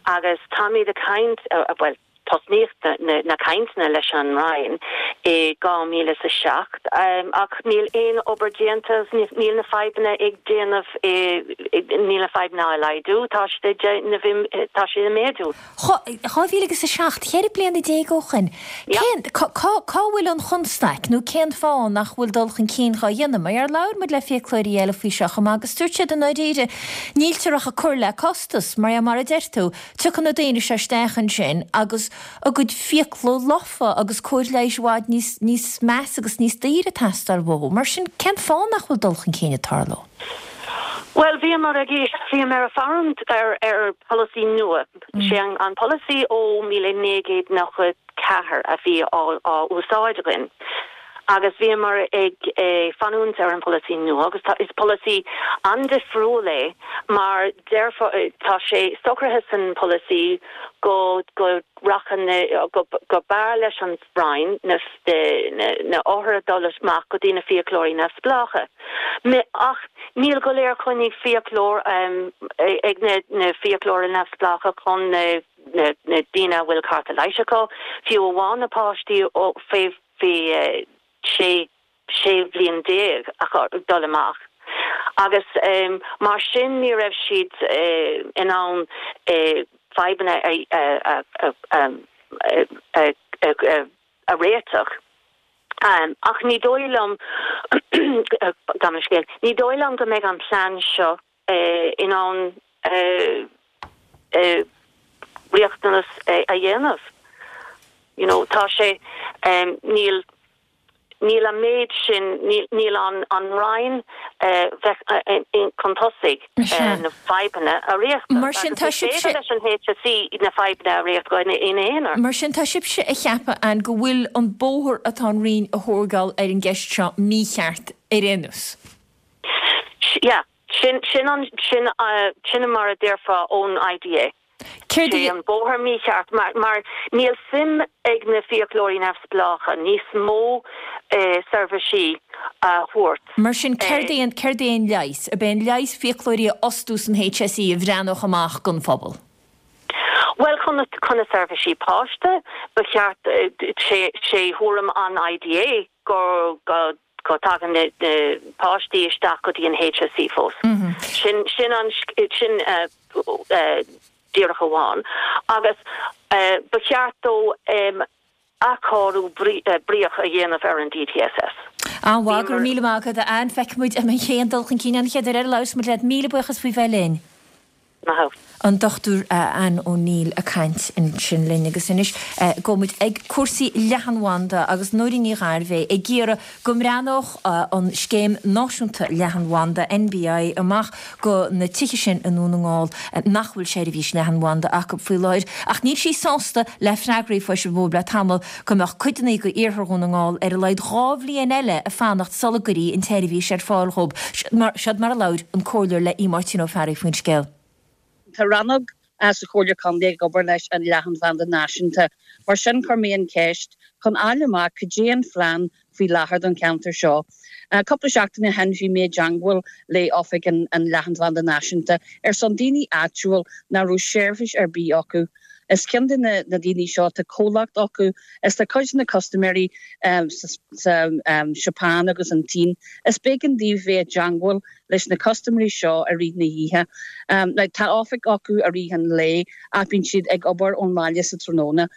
Agus táimid ag caint, bhuel, tosnaíodh na cainteanna leis an Roinn i dhá mhíle is a seacht ach níl aon obair déanta, níl na fadhbanna ag déanamh, níl na fadhbanna á laghdú, tá siad ag déanamh, tá siad ag méadú. Dhá mhíle agus a seacht, ceithre bliana déag ó shin. Cén, cá, cá bhfuil an chonstaic nó cén fáth nach bhfuil dul chun cinn dhá dhéanamh? Mar labhair muid le fiaclóirí eile faoi seo chomh maith agus dúirt siad i ndáiríre níltear ach ag cur le costas, mar mar a deir tú, tiocfaidh na daoine seo isteach ansin agus a gcuid fiacla lofa agus cóir leighis i bhfad níos, níos measa agus níos daoire ag teastáil uathu. Mar sin, cén fáth nach bhfuil dul chun cinn ag tarlú? Bhuel, bhíomar ag, bhíomar ag fanúint ar, ar polasaí nua. Sé an, an polasaí ó míle naoi gcéad nócha ceathair a bhí á, á úsáid againn. Agus bhíomar ag fanúint ar an polasaí nua agus tá, is polasaí an-difriúil é mar deirfeá, tá sé socraithe san polasaí go, go rachadh na, go, go b'fhearr leis an Roinn na, na, na othair a dul amach go dtí na fiaclóirí neamhspleácha. Ach níl go leor coinní fiaclóir ag na, na fiaclóirí neamhspleácha chun na, na, na daoine a bhfuil cárta leighis acu, fiú amháin na páistí ó fé, fé sé, sé bhliain déag a dul amach. Agus mar sin ní raibh siad in ann fadhbanna a, a, a, a, a réiteach. Ach ní dóigh liom gabh mo leithscéal, ní dóigh liom go mbeidh an plean seo in ann riachtanas a dhéanamh. You know, tá sé níl níl an méid sin níl an an Roinn bheith chun tosaigh na fadhbanna a réiteach. Mar sin tá sibhse leis an H S E na fadhbanna a réiteach ina aonar. Mar sin tá sibhse ag ceapadh an go bhfuil an bóthar atá an Roinn a thógáil ar an gceist seo mícheart ar aon nós. Yeah, sin sin an sin sin mar a déarfá ón I D A. Céard Sé an bóthar mícheart mar mar níl suim ag na fiaclóirí neamhspleácha níos mó eh, seirbhísí a thabhairt. Mar sin céard é an céard é an leigheas, ab é an leigheas fiaclóirí a fhostú san H S E a bhreathnódh amach don phobal. Well chun chun na seirbhísí páiste ba cheart sé sé thuairim an I D A go go acu, tagann na páistí isteach go dtí an HSE fós. Sin sin an sin díreach amháin. Agus ba cheart dó athchóiriú bríoch a dhéanamh ar an DTSS. An-mhaith, go raibh míle maith agat a Ann. Feicfidh muid an mbeidh aon dul chun cinn an chéad uair eile a labhras muid leat. Míle buíochas faoi bheith linn. Maith thú. An Dochtúir Ann O'Neill ag caint ansin linn agus anois gabhfaidh muid ag cúrsaí leathanbhanda agus Nóirín Ní Ghairbhéith ag iarraidh go mbreathnódh an Scéim Náisiúnta Leathanbhanda, NBI, amach go na tithe sin i nDún na nGall nach bhfuil seirbhís leathanbhanda acu faoi láthair. Ach níl sí sásta le freagraí a fuair sí le tamall go mbeadh cuideanna go iarthar Dhún na nGall ar a laghad dhá bhliain eile ag fanacht sula gcuirfí an tseirbhís ar fáil dhóibh. Seod mar a labhair an Comhairleoir le Aodh Máirtín Ó Fearraigh faoin scéal. Tá rannóg sa Chomhairle Contae ag obair leis an Leathanbhanda Náisiúnta. Mar sin chuir mé an cheist chun fháil amach cad é an phlean faoi láthair don cheantar seo. Cúpla seachtain ó shin bhí mé i dteangmháil le oifig an Leathanbhanda Náisiúnta ar son daoine áitiúil nach raibh seirbhís ar bith acu. Is ceann de na daoine seo tá comhlacht acu is tá cuid de na custaiméirí sa Seapáin agus an tSín. Is b'éigean daoibh bheith i dteangmháil leis na custaiméirí seo i rith na hoíche. Tá oifig acu i rith an lae ach bíonn siad ag obair ón mbaile sa tráthnóna.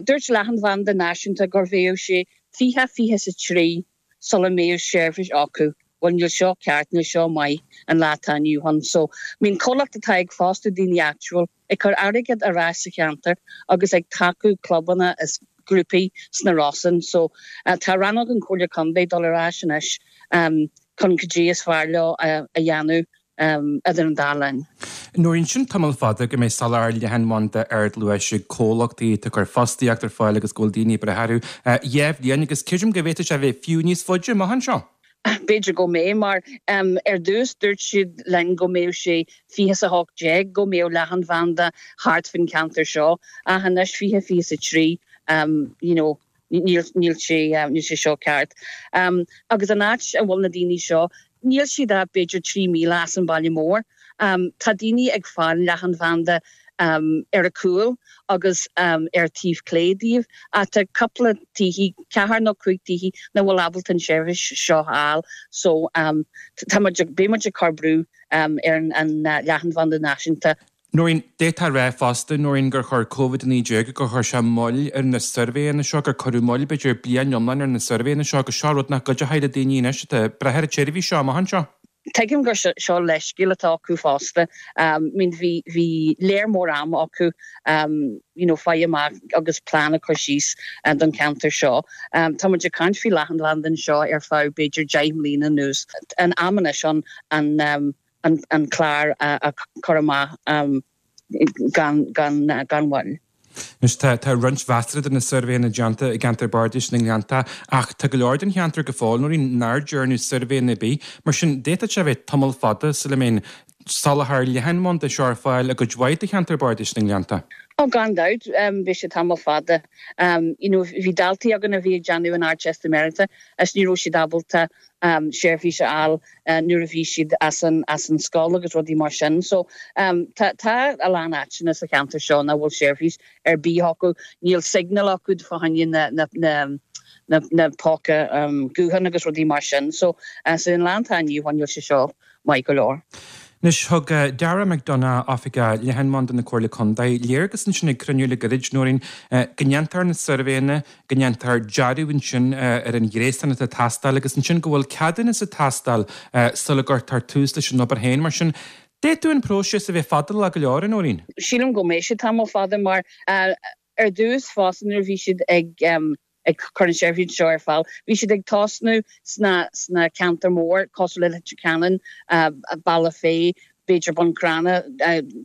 Dúirt Leathanbhanda Náisiúnta gur bheadh sé fiche fiche is a trí sula mbeadh seirbhís acu. Bhuel níl seo ceart, níl seo maith an lá atá inniu ann. So, I mean comhlacht atá ag fostú daoine áitiúil, ag cur airgead ar ais sa cheantar agus ag tacú clubanna is grúpaí sna Rosann. So, tá rannóg an Chomhairle Contae dul ar ais anois chun cad é is fearr leo a dhéanamh idir an dá linn. Nóirín, sin tamall fada go mbeidh soláthar leathanbhanda ardluais ag comhlachtaí atá ag cur fostaíocht ar fáil agus go bhfuil daoine ag brath orthu dhá bhliain agus creidim go bhféadfadh sé a bheith fiú níos faide amach anseo. B'fhéidir go mbeidh, mar ar dtús dúirt siad linn go mbeadh sé fiche is a hocht déag go mbeadh leathanbhanda thart faoin cheantar seo, ach anois fiche fiche is a trí, you know, níl níl sé níl sé seo ceart. Agus an áit a bhfuil na daoine seo, níl siad ach b'fhéidir trí míle as an baile mór. Tá daoine ag fáil leathanbhanda ar a cúl agus ar taobh clé díobh ach tá cúpla tithe, ceathair nó cúig tithe, nach bhfuil ábalta an seirbhís seo a fháil so tá muid, beidh muid ag cur brú ar an leathanbhanda náisiúnta. Nóirín, d'fhéadfá a rá fosta, Nóirín, gur chuir Covid a naoi déag, gur chuir sé moill ar na suirbhéanna seo, gur cuireadh moill b'fhéidir bliain iomlán ar na suirbhéanna seo agus seo rud nach gcuideoidh le daoine anois atá ag brath ar an tseirbhís seo amach anseo. Tuigim gur seo leithscéal atá acu fosta. I mean bhí bhí léar mór ama acu you know fáil amach agus plean a chur síos don cheantar seo. Tá muid ag caint faoi leathanbhanda anseo ar feadh b'fhéidir deich mbliana anuas. An am anois an an an clár a chur amach gan gan gan mhoill. Anois tá tá roinnt mheasartha de na suirbhéanna déanta i gceantar Bardais na nGleanntach ach tá go leor den cheantar go fóill, Nóirín, nár dearnadh suirbhéanna ar bith. Mar sin, d'fhéadfadh sé a bheith tamall fada sula mbeidh an soláthar leathanbhanda seo ar fáil i gcuid mhaith de cheantar Bardais na nGleanntach. Ó gan dabht, beidh sé tamall fada. You know, bhí daltaí againn a bhí ag déanamh an Ardteistiméireachta is ní raibh siad ábalta seirbhís a fháil nuair a bhí siad as an as an scoil agus rudaí mar sin. So tá tá a lán áiteanna sa cheantar seo nach bhfuil seirbhís ar bith acu. Níl signal acu fá choinne na na na na na póca gutháin agus rudaí mar sin. So sa lá atá inniu ann níl sé seo maith go leor. Anois, thug Darragh McDonagh, Oifigeach Leathanbhanda na Comhairle Contae, léargas ansin ag cruinniú le gairid, Nóirín, go ndéantar na suirbhéanna, go ndéantar dearadh ansin ar an ghréasán atá ag teastáil agus ansin go bhfuil ceadúnas ag teastáil sula gcuirtear tús leis an obair féin. Mar sin, d'fhéadfadh an próiseas a bheith fadálach go leor, a Nóirín. Sílim go mbeidh sé tamall fada mar ar dtús fosta nuair a bhí siad ag ag cur an seirbhís seo ar fáil. Bhí siad ag tosnú sna sna ceantair mór cosúil le Leitir Ceanainn, Bealach Féich, b'fhéidir Bun Cranncha,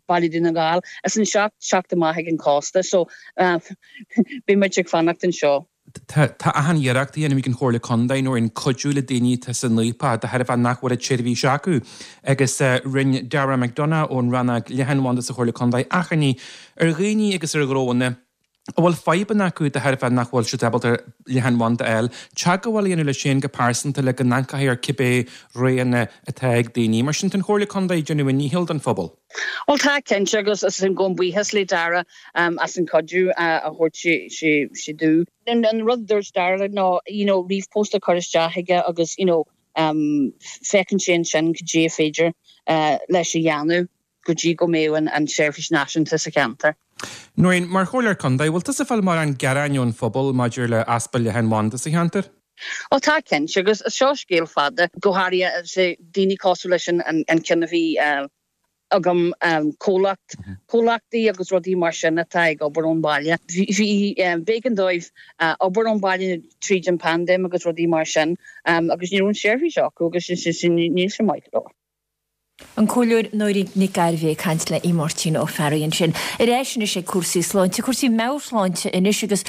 Baile Dhún na nGall, is anseo teacht amach ag an cósta. So beidh muid ag fanacht anseo. Tá tá achan iarracht á dhéanamh ag an Chomhairle Contae, Nóirín, cuidiú le daoine atá san fhaopach de thairbhe nach bhfuil an tseirbhís acu agus rinne Darragh McDonagh ón rannóg leathanbhanda sa Chomhairle Contae achainí ar dhaoine agus ar ghnóanna a bhfuil fadhbanna acu de thairbhe nach bhfuil siad ábalta leathanbhanda a fháil, teagmháil a dhéanamh leis féin go pearsanta le go n-amharcfaí ar cibé roghanna atá ag daoine. Mar sin, tá an Chomhairle Contae ag déanamh a ndícheall don phobal. Bhuel tá, cinnte, agus is gabhaim buíochas le Dara as an cuidiú a thabhairt sé dúinn. An rud a dúirt Dara ná you know ríomhphost a chur isteach aige agus you know féachann sé ansin cad é féidir leis a dhéanamh. go dtí go mbeidh an tseirbhís náisiúnta sa cheantar. Nóirín, mar Chomhairleoir Contae, bhfuil tusa ag fáil mórán gearáin ón phobal maidir le easpa leathanbhanda sa cheantar? Ó tá cinnte, agus seo scéal fada, go háirithe daoine cosúil leis an ceann a bhí agam, comhlacht, comhlachtaí agus rudaí mar sin atá ag obair ón bhaile. Bhí, b'éigean dóibh obair ón bhaile tríd an paindéim agus rudaí mar sin agus ní raibh an seirbhís acu agus níl sé maith go leor. An Comhairleoir Nóirín Nic Gairbheith ag caint le Máirtín Ó Fearraigh ansin. Ar ais anois ag cúrsaí sláinte, cúrsaí meabhairshláinte anois agus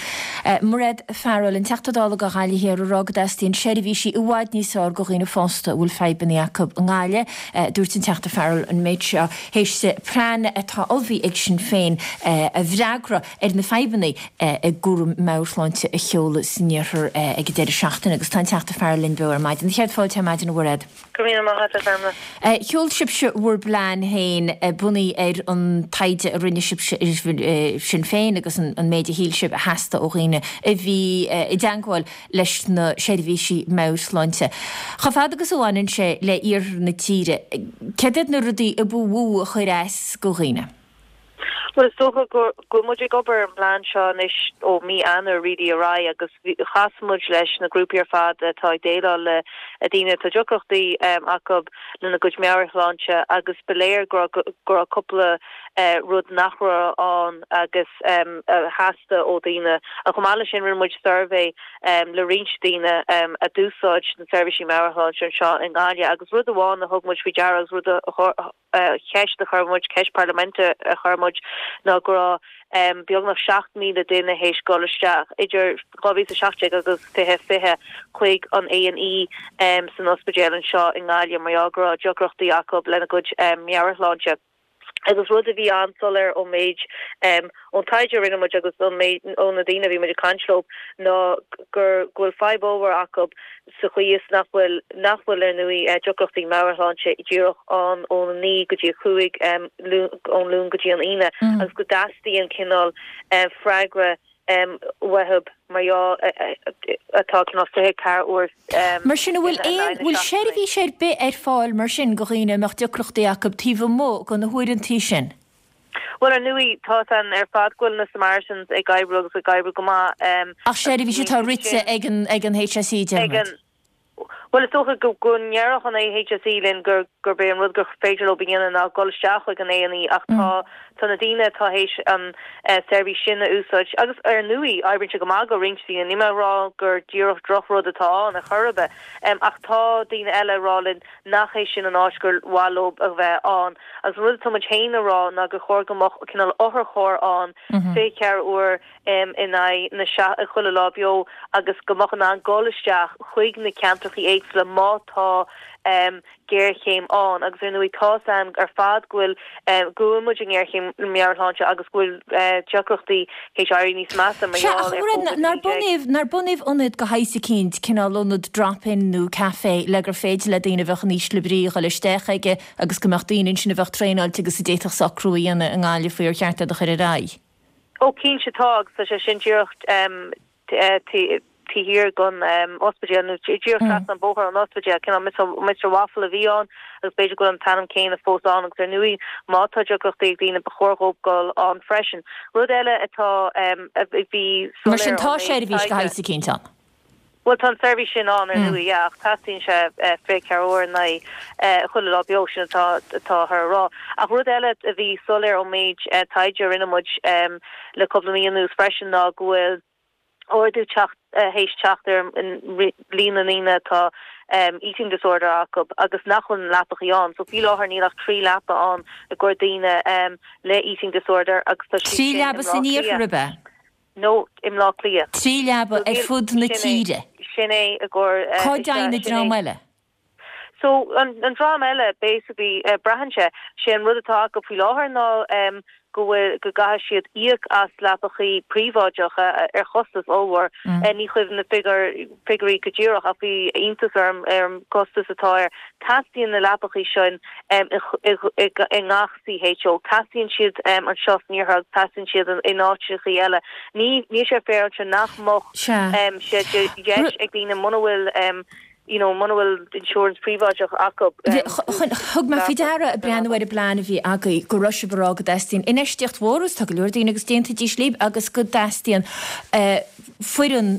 Mairéad Farrell, an Teachta Dála do Ghaillimh Thiar ag rá go dteastaíonn seirbhísí i bhfad níos fearr do dhaoine fásta a bhfuil fadhbanna acu i nGaillimh. Dúirt an Teachta Farrell an méid seo théis plean atá ullmhaithe ag Sinn Féin a bhfreagra ar na fadhbanna i gcúram meabhairshláinte a sheoladh san iarthar ag an deireadh seachtaine agus tá an Teachta Farrell linn beo ar maidin. Céad fáilte ar maidin a Mhairéad. Go raibh míle maith agat, a Phamela. Sheol sibhse bhur bplean féin bunaithe ar an taighde a rinne sibhse ar Sinn Féin agus an méid a shíl sibh a theastaigh ó dhaoine a bhí i dteagmháil leis na seirbhísí meabhairshláinte. Chomh fada agus a bhaineann sé le iarthar na tíre, céard iad na rudaí a ba mhó a chuir as do dhaoine? Bhuel, is dócha go bhfuil muid ag obair ar an bplean seo anois ó mí Eanáir really ar aghaidh agus chas muid leis na grúpaí ar fad atá ag déileáil le daoine atá deacrachtaí acu lena gcuid meabhairshláinte agus ba léir go raibh cúpla rud nach raibh ann agus a theastaigh ó dhaoine. Chomh maith leis sin rinne muid suirbhé le roinnt daoine a d'úsáid na seirbhísí meabhairshláinte anseo i nGaillimh agus rud amháin a thug muid faoi deara agus rud a cheist a chuir muid, ceist parlaiminte a chuir muid, ná go raibh beagnach seacht míle duine théis dul isteach idir dhá mhíle is a seacht déag agus fiche fiche chuig an A and E san ospidéal anseo i nGaillimh mar gheall go raibh deacrachtaí acu lena gcuid meabhairshláinte. Agus rud a bhí an-soiléir ón méid, ón taighde a rinne muid agus ón méid, ó na daoine a bhí muid ag caint leo ná gur, go bhfuil fadhb ollmhór acu sa chaoi is nach bhfuil, nach bhfuil ar ndóigh deacrachtaí meabhairshláinte díreach ann ón a naoi go dtí a cúig, ón Luan go dtí an Aoine agus go dteastaíonn cineál freagra uathu mar gheall atá cineál fiche ceathair uair Mar sin, an bhfuil aon, bhfuil seirbhís ar bith ar fáil mar sin do dhaoine a mbeadh deacrachtaí acu taobh amuigh de na huaireantaí sin? Bhuel, ar ndóigh, tá a fhios againn ar fad go bhfuil na Samaritans ag oibriú agus ag oibriú go maith. Ach seirbhís atá rite ag an, ag an HSE, Ag déarfaimid. an. Bhuel, is dócha go go ndéarfadh an HSE linn gur gurb é an rud gur féidir leo a dhéanamh ná dul isteach chuig an A and E ach tá tá na daoine atá théis an seirbhís sin a úsáid agus ar ndóigh oibríonn sé go maith do roinnt daoine, níl mé ag rá gur díreach drochrud atá ann ar chor ar bith ach tá daoine eile ag rá linn nach é sin an áit gur mhaith leo a bheith ann agus an rud atá muid féin a rá ná gur chóir go mbeadh cineál otharcharr ann fiche ceathair uair in aghaidh na chuile lá beo agus go mbeadh in ann dul isteach chuig na ceantrachaí éagsúla má tá géarchéim ann agus ar ndóigh tá a fhios againn ar fad go bhfuil go bhfuil muid i ngéarchéim meabhairshláinte agus go bhfuil deacrachtaí théis éirí níos measa mar Sea, gheall ach ar Mairéad, Covid nár a naoi déag. bunaíodh, nár bunaíodh ionad de shaghas eicínt, cineál ionad drop-in nó café le gur féidir le daoine a bheadh in ísle brí a dhul isteach aige agus go mbeadh daoine ansin a bheadh traenáilte agus a d'fhéadfadh socrú a dhéanamh i nGaillimh faoi ar cheart iad a chur ar aghaidh? Ó cinnte tá agus tá sé sin díreach taobh thiar den ospidéal nó díreach trasna an bóthar ón ospidéal, cineál Mister Waffle a bhí ann agus b'fhéidir go bhfuil an t-ainm céanna fós ann agus ar ndóigh má tá deacrachtaí ag daoine ba chóir dhóibh dul ann freisin. Rud eile atá a bhí Mar sin soiléir tá ón méid seirbhís de taighde. shaghas eicínt ann. Bhuel, tá an tseirbhís sin ann, ar ndóigh, yeah, ach teastaíonn sé fiche ceathair uair in aghaidh chuile lá beo, sin atá atáthar a rá. Ach rud eile a bhí soiléir ón méid taighde a rinne muid le cúpla mí anuas freisin ná go bhfuil ardú teacht théis teacht ar líon na ndaoine atá eating disorder acu agus nach bhfuil na leapachaí ann. So faoi láthair níl ach trí leapa ann i gcomhair daoine le eating disorder agus tá siad Trí sin i leaba mBleá san Cliath. iarthar, ab ea? No, i mBleá Cliath. Trí leaba ar fud na tíre. Sin é i gcomhair. Cá dtéann an dream eile? So an dream eile basically braitheann sé, sé an rud atá acu faoi láthair ná go bhfuil go gcaithfidh siad íoc as leapachaí príobháideacha ar chostas ollmhór. Ní cuimhin na figiúirí go díreach ach bhí iontas orm ar an gcostas atá air. Teastaíonn na leapachaí sin i ngach C H O. Teastaíonn siad anseo san iarthar agus teastaíonn siad in áiteachaí eile. Ní níl sé féaráilte nach mbeadh sé de dheis ag daoine muna bhfuil you know muna bhfuil insurance príobháideach acu. Thug mé faoi deara ag breathnú ar an bplean a bhí agaibh go raibh sibh ag rá go dteastaíonn infheistíocht mhór agus tá go leor daoine agus déanfaidís libh agus go dteastaíonn foireann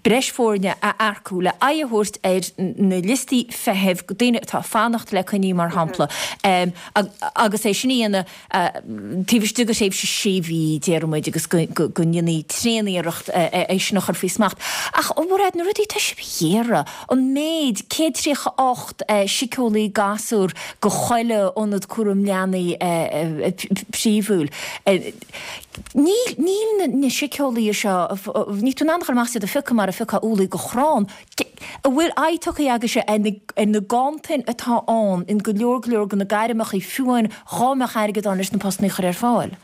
breis foirne a earcú le aghaidh a thabhairt ar na liostaí feithimh daoine atá ag fanacht le coinní mar shampla agus é sin a dhéanamh taobh istigh de thréimhse sé mhí déarfaidh muid agus go ndéanfaí tréaniarracht é sin a chur faoi smacht. Ach a Mhairéad, na rudaí atá sibh a iarraidh, an méid céad tríocha ocht síceolaí gasúr go chuile ionad cúram leanaí príomhúil, níl níl na síceolaithe seo, níl tú in ann a chur amach iad a phiocadh mar a phiocfá úllaí go chrann. An bhfuil aghaidh tugtha agaibhse ar na ganntanais atá ann in go leor go leor de na gairmeacha fiú amháin dhá mbeadh airgead ann leis na postanna a chur ar fáil?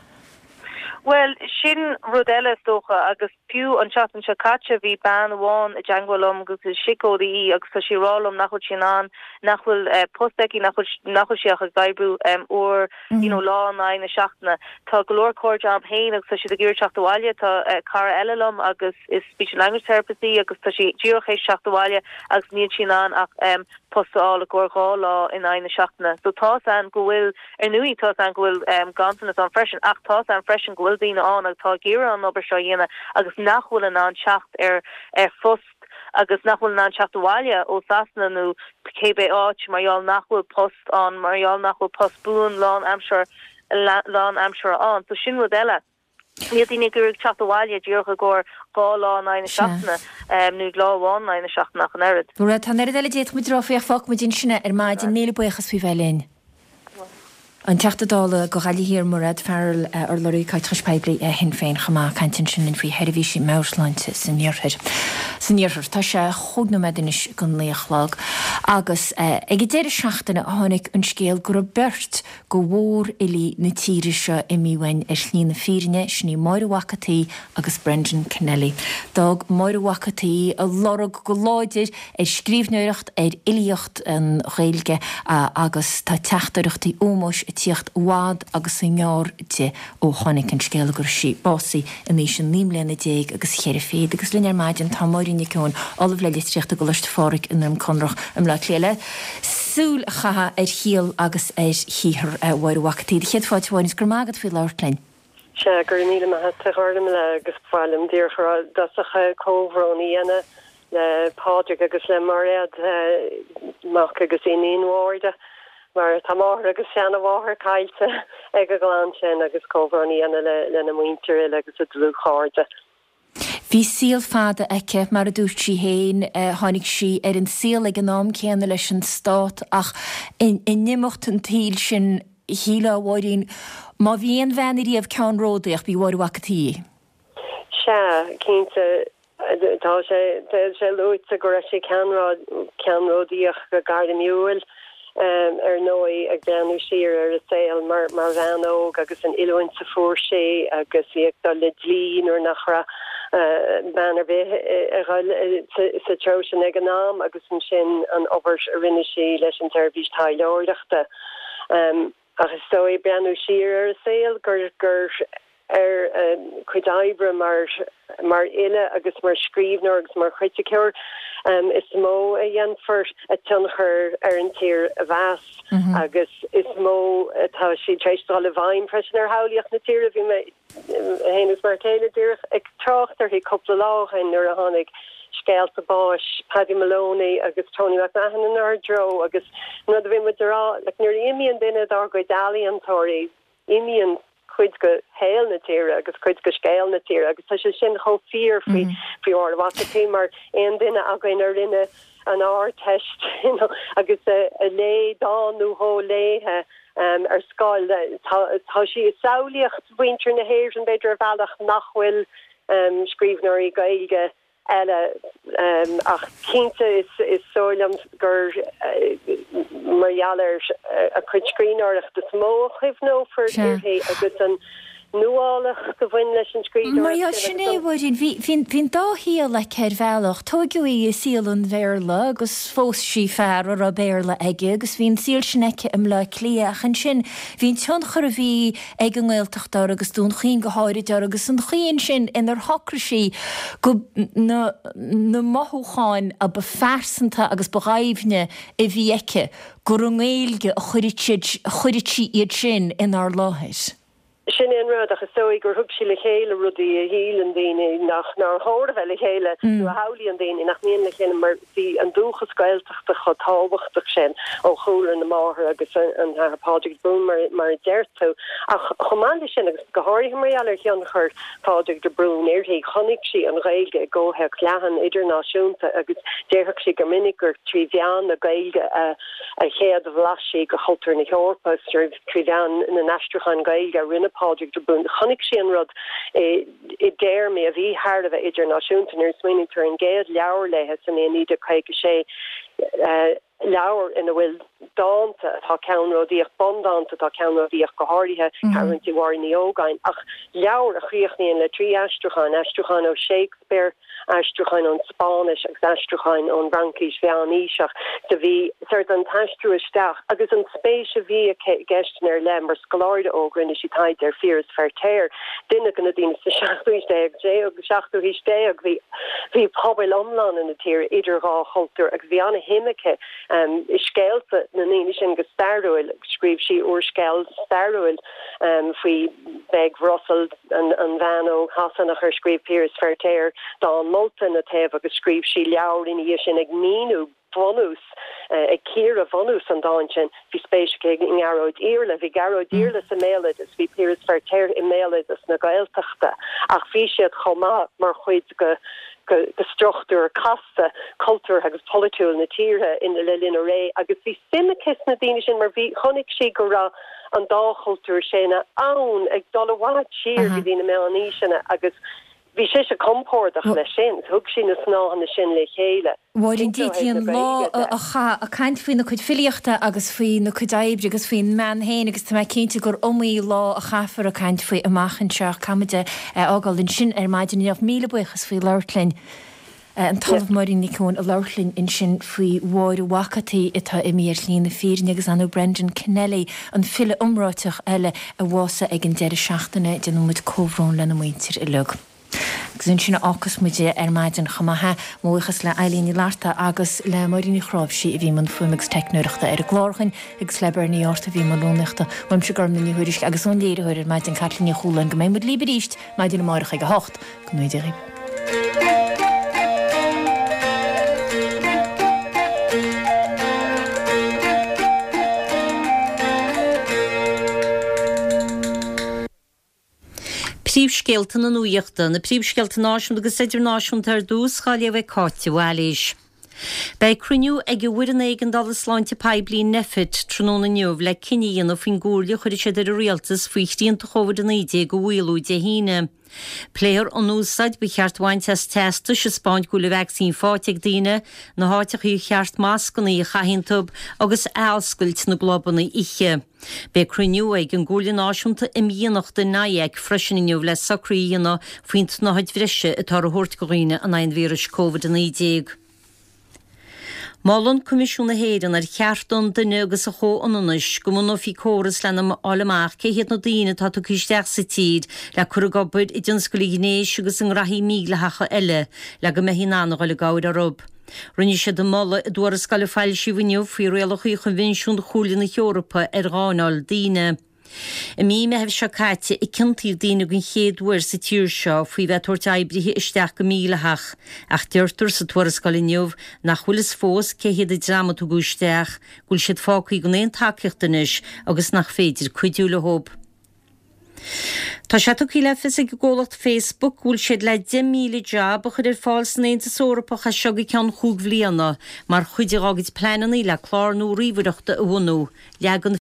Bhuel, sin rud eile is dócha agus fiú an tseachtain seo caite bhí bean amháin i dteagmháil liom agus is síceolaí í agus tá sí ag rá liom nach bhfuil sí in ann nach bhfuil eh, post aici nach bhfuil nach bhfuil sí ach ag oibriú um, uair you know, lá in aghaidh na seachtaine. Tá go leor cairde agam féin agus tá siad ag iarraidh teacht abhaile tá uh, cara eile liom agus is speech and language therapist í agus tá sí díreach théis teacht abhaile agus níl sí in ann ach um, post a fháil i gcomhair dhá lá in aghaidh na seachtaine. So tá an go bhfuil ar ndóigh tá an go bhfuil um, ganntanas ann freisin ach tá an freisin go bhfuil daoine ann agus tá ag iarraidh an obair seo a dhéanamh agus nach bhfuil in ann teacht ar ar phost agus nach bhfuil in ann teacht abhaile ó Sasana nó cébé áit mar gheall nach bhfuil post ann mar gheall nach bhfuil post buan lán aimsir lán aimsire ann so sin rud eile. Níl daoine ag iarraidh teacht abhaile díreach i gcomhair dhá lá in aghaidh na seachtaine nó lá amháin in aghaidh na seachtaine ach an oiread. Tá an oiread eile d'fhéadfadh muid a rá faoi ach fágfaidh muid ansin é ar maidin míle buíochas faoi bheith linn. An Teachta Dála do Ghaillimh Thiar Mairéad Farrell urlabhraí caiteachais poiblí Shinn Féin chomh maith ag caint ansin linn faoi sheirbhísí meabhairshláinte san iarthar. San iarthar tá sé chúig nóiméad anois go naoi a chlog agus ag an deireadh seachtaine a tháinig an scéal go raibh beirt de mhórfhilí na tíre seo imithe uainn ar shlí na fírinne, sin í Máire Mhac an tSaoi agus Brendan Kennelly. D'fhág Máire Mhac an tSaoi a lorg go láidir ar scríbhneoireacht ar fhilíocht an Ghaeilge agus tá teachtaireachtaí ómóis ag tíocht i bhfad agus i ngearr di ó tháinig an scéal go raibh sí básaithe in aois a naoi mbliana déag agus cheithre fichid agus linn ar maidin tá Máirín Nic Eoin, Ollamh le Litríocht i gColáiste Phádraig i nDroim Conrach i mBleá Cliath le súil a chaitheamh ar shaol agus ar shaothar Mháire Mhac an tSaoi. Do chéad fáilte Mháirín, go raibh maith agat faoi labhairt linn. Sea, go raibh míle maith agat a Ghormfhlaith agus ba mhaith liom díreach i dtosach comhbhrón a dhéanamh le Pádraig agus le Mairéad mac agus iníon Mháire. Mar tá máthair agus seanmháthair caillte ag an gclann sin agus comhbhrón a dhéanamh le lena muintir uile agus a dlúthchairde. Bhí saol fada aici mar a dúirt sí féin, tháinig sí ar an saol ag an am céanna leis an stát ach in imeacht an tsaoil sin shílfeá a Mháirín, má bhí aon bhean ariamh ceannródaíoch b'í Máire Mhac an tSaoi. Sea, cinnte. Tá sé tá sé luaite go raibh sí ceannródaíoch go gairmiúil ar ndóigh ag breathnú siar ar a saol mar mar bhean óg agus an oiliúint a fuair sí agus í ag dul le dlí nuair nach raibh bean ar bith ag dul sa treo sin ag an am agus ansin an obair a rinne sí leis an tseirbhís taidhleoireachta. Ach is dóigh breathnú siar ar a saol gur gur ar a cuid oibre mar mar fhile agus mar scríbhneoir agus mar chriticeoir um, is mó a dhéanfar a tionchar ar an tír a mheas mm -hmm. agus is mó atá sí tar éis dul i bhfeidhm freisin ar shamhlaíocht na tíre bhí mé féin is m'fhear céile díreach ag trácht uirthi cúpla lá ó shin nuair a tháinig scéalta báis Paddy Moloney agus Tony McMahon inár dtreo agus nuair a bhí muid ag rá like, nuair a imíonn duine dár gcuid ealaíontóirí imíonn cuid de shaol na tíre agus cuid de scéal na tíre agus tá sé sin chomh fíor faoi mm. faoi Mháire Mhac an tSaoi mar aon duine againn a rinne an Ardteist you know, agus a, a léigh dán nó dhó léithe um, ar scoil tá, tá sí i samhlaíocht mhuintir na hÉireann b'fhéidir ar bhealach nach bhfuil um, scríbhneoirí Gaeilge eile um, ach cinnte is is dóigh liom gur uh, mar gheall ar a cuid scríbhneoireachta is mó a chuimhneofar uirthi agus an nuálacht a bhain leis an Mar scríbhneoireacht sin sin é, agus an. Mháirín, bhí, bhí, bhí an dá shaol aici ar bhealach. Tóigeadh í i saol an Bhéarla agus phós sí fear a raibh Béarla aige agus bhí an saol sin aici i mBleá Cliath ach ansin bhí an tionchar a bhí ag an nGaeltacht uirthi agus Dún Chaoin go háirid uirthi agus an chaoi ansin inar shocraigh sí go na, na mothúcháin a ba phearsanta agus ba dhoimhne a bhí aici gur i nGaeilge a chuireadh sí iad sin inár láthair. Sin é an rud, ach is dóigh gur thug sí le chéile rudaí a shíleann daoine nach nár chóir a bheith le chéile nó a shamhlaíonn daoine nach mbíonn le chéile mar bhí an dúchas Gaeltachta chomh tábhachtach sin ó chúlra na máthar agus an tAthair Pádraig de Brún mar mar a deir tú. Ach chomh maith leis sin agus go háirithe mar gheall ar thionchar Phádraig de Brún uirthi, chonaic sí an Ghaeilge i gcomhthéacs leathan idirnáisiúnta agus déarfadh sí go minic gur trí mheán na Gaeilge a a chéad bhlais sí de chultúr na hEorpa trí mheán na n-aistriúchán Gaeilge a rinne Pádraig de Brún. Chonaic sí an rud i dtéarmaí a bhí thar a bheith idirnáisiúnta nuair a smaoiníonn tú ar an gcéad leabhar léi sa mbliain naoi déag caoga sé, leabhar ina bhfuil dánta atá ceannródaíoch, bundánta atá ceannródaíoch, go háirithe Ceathrúintí Mháire Ní Ógáin, ach leabhar a chríochnaíonn le trí aistriúchán, aistriúchán ó Shakespeare, aistriúcháin ón Spáinnis agus aistriúcháin ón bhFraincis mheánaoiseach. Do bhí sort an t-aistriú isteach agus an spéis a bhí aici i gceisteanna ar leith mar scoláire óg rinne sí taighde ar Phiaras Feirtéar, duine de na daoine sa seachtú haois déag déag seachtú haois déag bhí bhí pobail iomlána na tíre idir dhá chultúr agus bhí an-shuim aici i scéalta na ndaoine sin go stairiúil. Scríobh sí úrscéal stairiúil faoi Bheg Russell, an bhean óg Shasanach ar scríobh Piaras Feirtéar dán molta ina taobh agus scríobh sí leabhar ina dhiaidh sin ag míniú bunús, ag cíoradh bhunús an dáin sin. Bhí spéis aici i nGearóid Iarla. Bhí Gearóid Iarla sa mbéaloideas, bhí Piaras Feirtéar i mbéaloideas na Gaeltachta ach bhí siad chomh maith mar chuid de de struchtúr casta cultúrtha agus polaitiúil na tíre in le linn a ré agus bhí suim aici sna daoine sin mar bhí chonaic sí go raibh an dá chultúr sin ann ag dul i bhfad siar go dtí na meánaoiseanna agus bhí sise compordach leis sin, thug sí na snáitheanna sin le chéile. Mháirín, d'fhéadfaí an lá a chaitheamh ag caint faoina cuid filíochta agus faoina cuid oibre agus faoin mbean féin agus tá mé cinnte gur iomaí lá a chaithfear ag caint faoi amach anseo ach caithfimid é a fhágáil ansin ar maidin inniu. Míle buíochas faoi labhairt linn. An tOllamh Máirín Nic Eoin ag labhairt linn ansin faoi Mháire Mhac an tSaoi atá imithe ar shlí na fírinne agus ar ndóigh Brendan Kennelly, an file iomráiteach eile a bhásaigh ag an deireadh seachtaine. Déanann muid comhbhrón lena muintir uilig. Agus ansin a fhágfas muid é ar maidin chomh maith. Mo bhuíochas le Eileen Ní Fhlatharta agus le Máirín Ní Chráimhsí a bhí i mbun fuaime agus teicneoireachta ar an gclár agus le Bernie Arthur a bhí i mbun rúnaíochta. Uaimse Gormfhlaith Ní Thuairisg agus ón léiritheoir ar maidin Caitlín Ní Chualáin go mbeidh muid libh arís maidin amárach ag a hocht. Go ngnóthaí Dia dhaoibh. Príomhscéalta na nuachta, na príomhscéalta náisiúnta agus idirnáisiúnta ar dtús, á léamh ag Cáit de Bhailís. Beidh cruinniú ag an bhFoireann Éigeandála Sláinte Poiblí Nphet tráthnóna inniu le cinneadh a dhéanamh faoin gcomhairle a chuirfidh siad ar an Rialtas faoi shrianta Covid a naoi déag a mhaolú Dé hAoine. Pléifear an úsáid ba cheart a bhaint as teastais ag 'spáint go bhfuil an vacsaín faighte ag daoine, na háiteacha ar cheart mascanna a chaitheamh iontu agus athoscailt na gclubanna oíche. Beidh cruinniú ag an gComhairle Náisiúnta Imdhíonachta, NIAC, freisin inniu le socruithe a dhéanamh faoin tsnáthaid bhreise atáthar a thabhairt do dhaoine in aghaidh an víris Covid a naoi déag. Molann Coimisiún na hÉireann ar Chearta an Duine agus an Chomhionannais go mbunófaí córas lena fháil amach cé hiad na daoine atá tugtha isteach sa tír le cur ag obair i dtionscal an ghnéis agus i ngraithí mídhleathacha eile le go mbeifí in ann a dhul i gcabhair orthu. Rinne siad an moladh i dtuarascáil a foilsíodh inniu faoi rialacha Choinbhinsiún Chomhairle na hEorpa ar Gháinneáil Daoine. I mí Meithimh seo caite a ciontaíodh daoine den chéad uair sa tír seo faoi bheith ag tabhairt oibrithe isteach go mídhleathach, ach deirtear sa tuarascáil inniu nach bhfuil fhios fós cé hiad an dream a tugadh isteach, go bhfuil siad fágtha gan aon tacaíocht anois agus nach féidir cuidiú leo. Tá sé tugtha le fios ag an gcomhlacht Facebook go bhfuil siad le deich míle jab a chur ar fáil san Aontas Eorpach as seo go ceann chúig bhliana mar chuid dá gcuid pleananna le clár nua ríomhaireachta a bhunú. Leagann.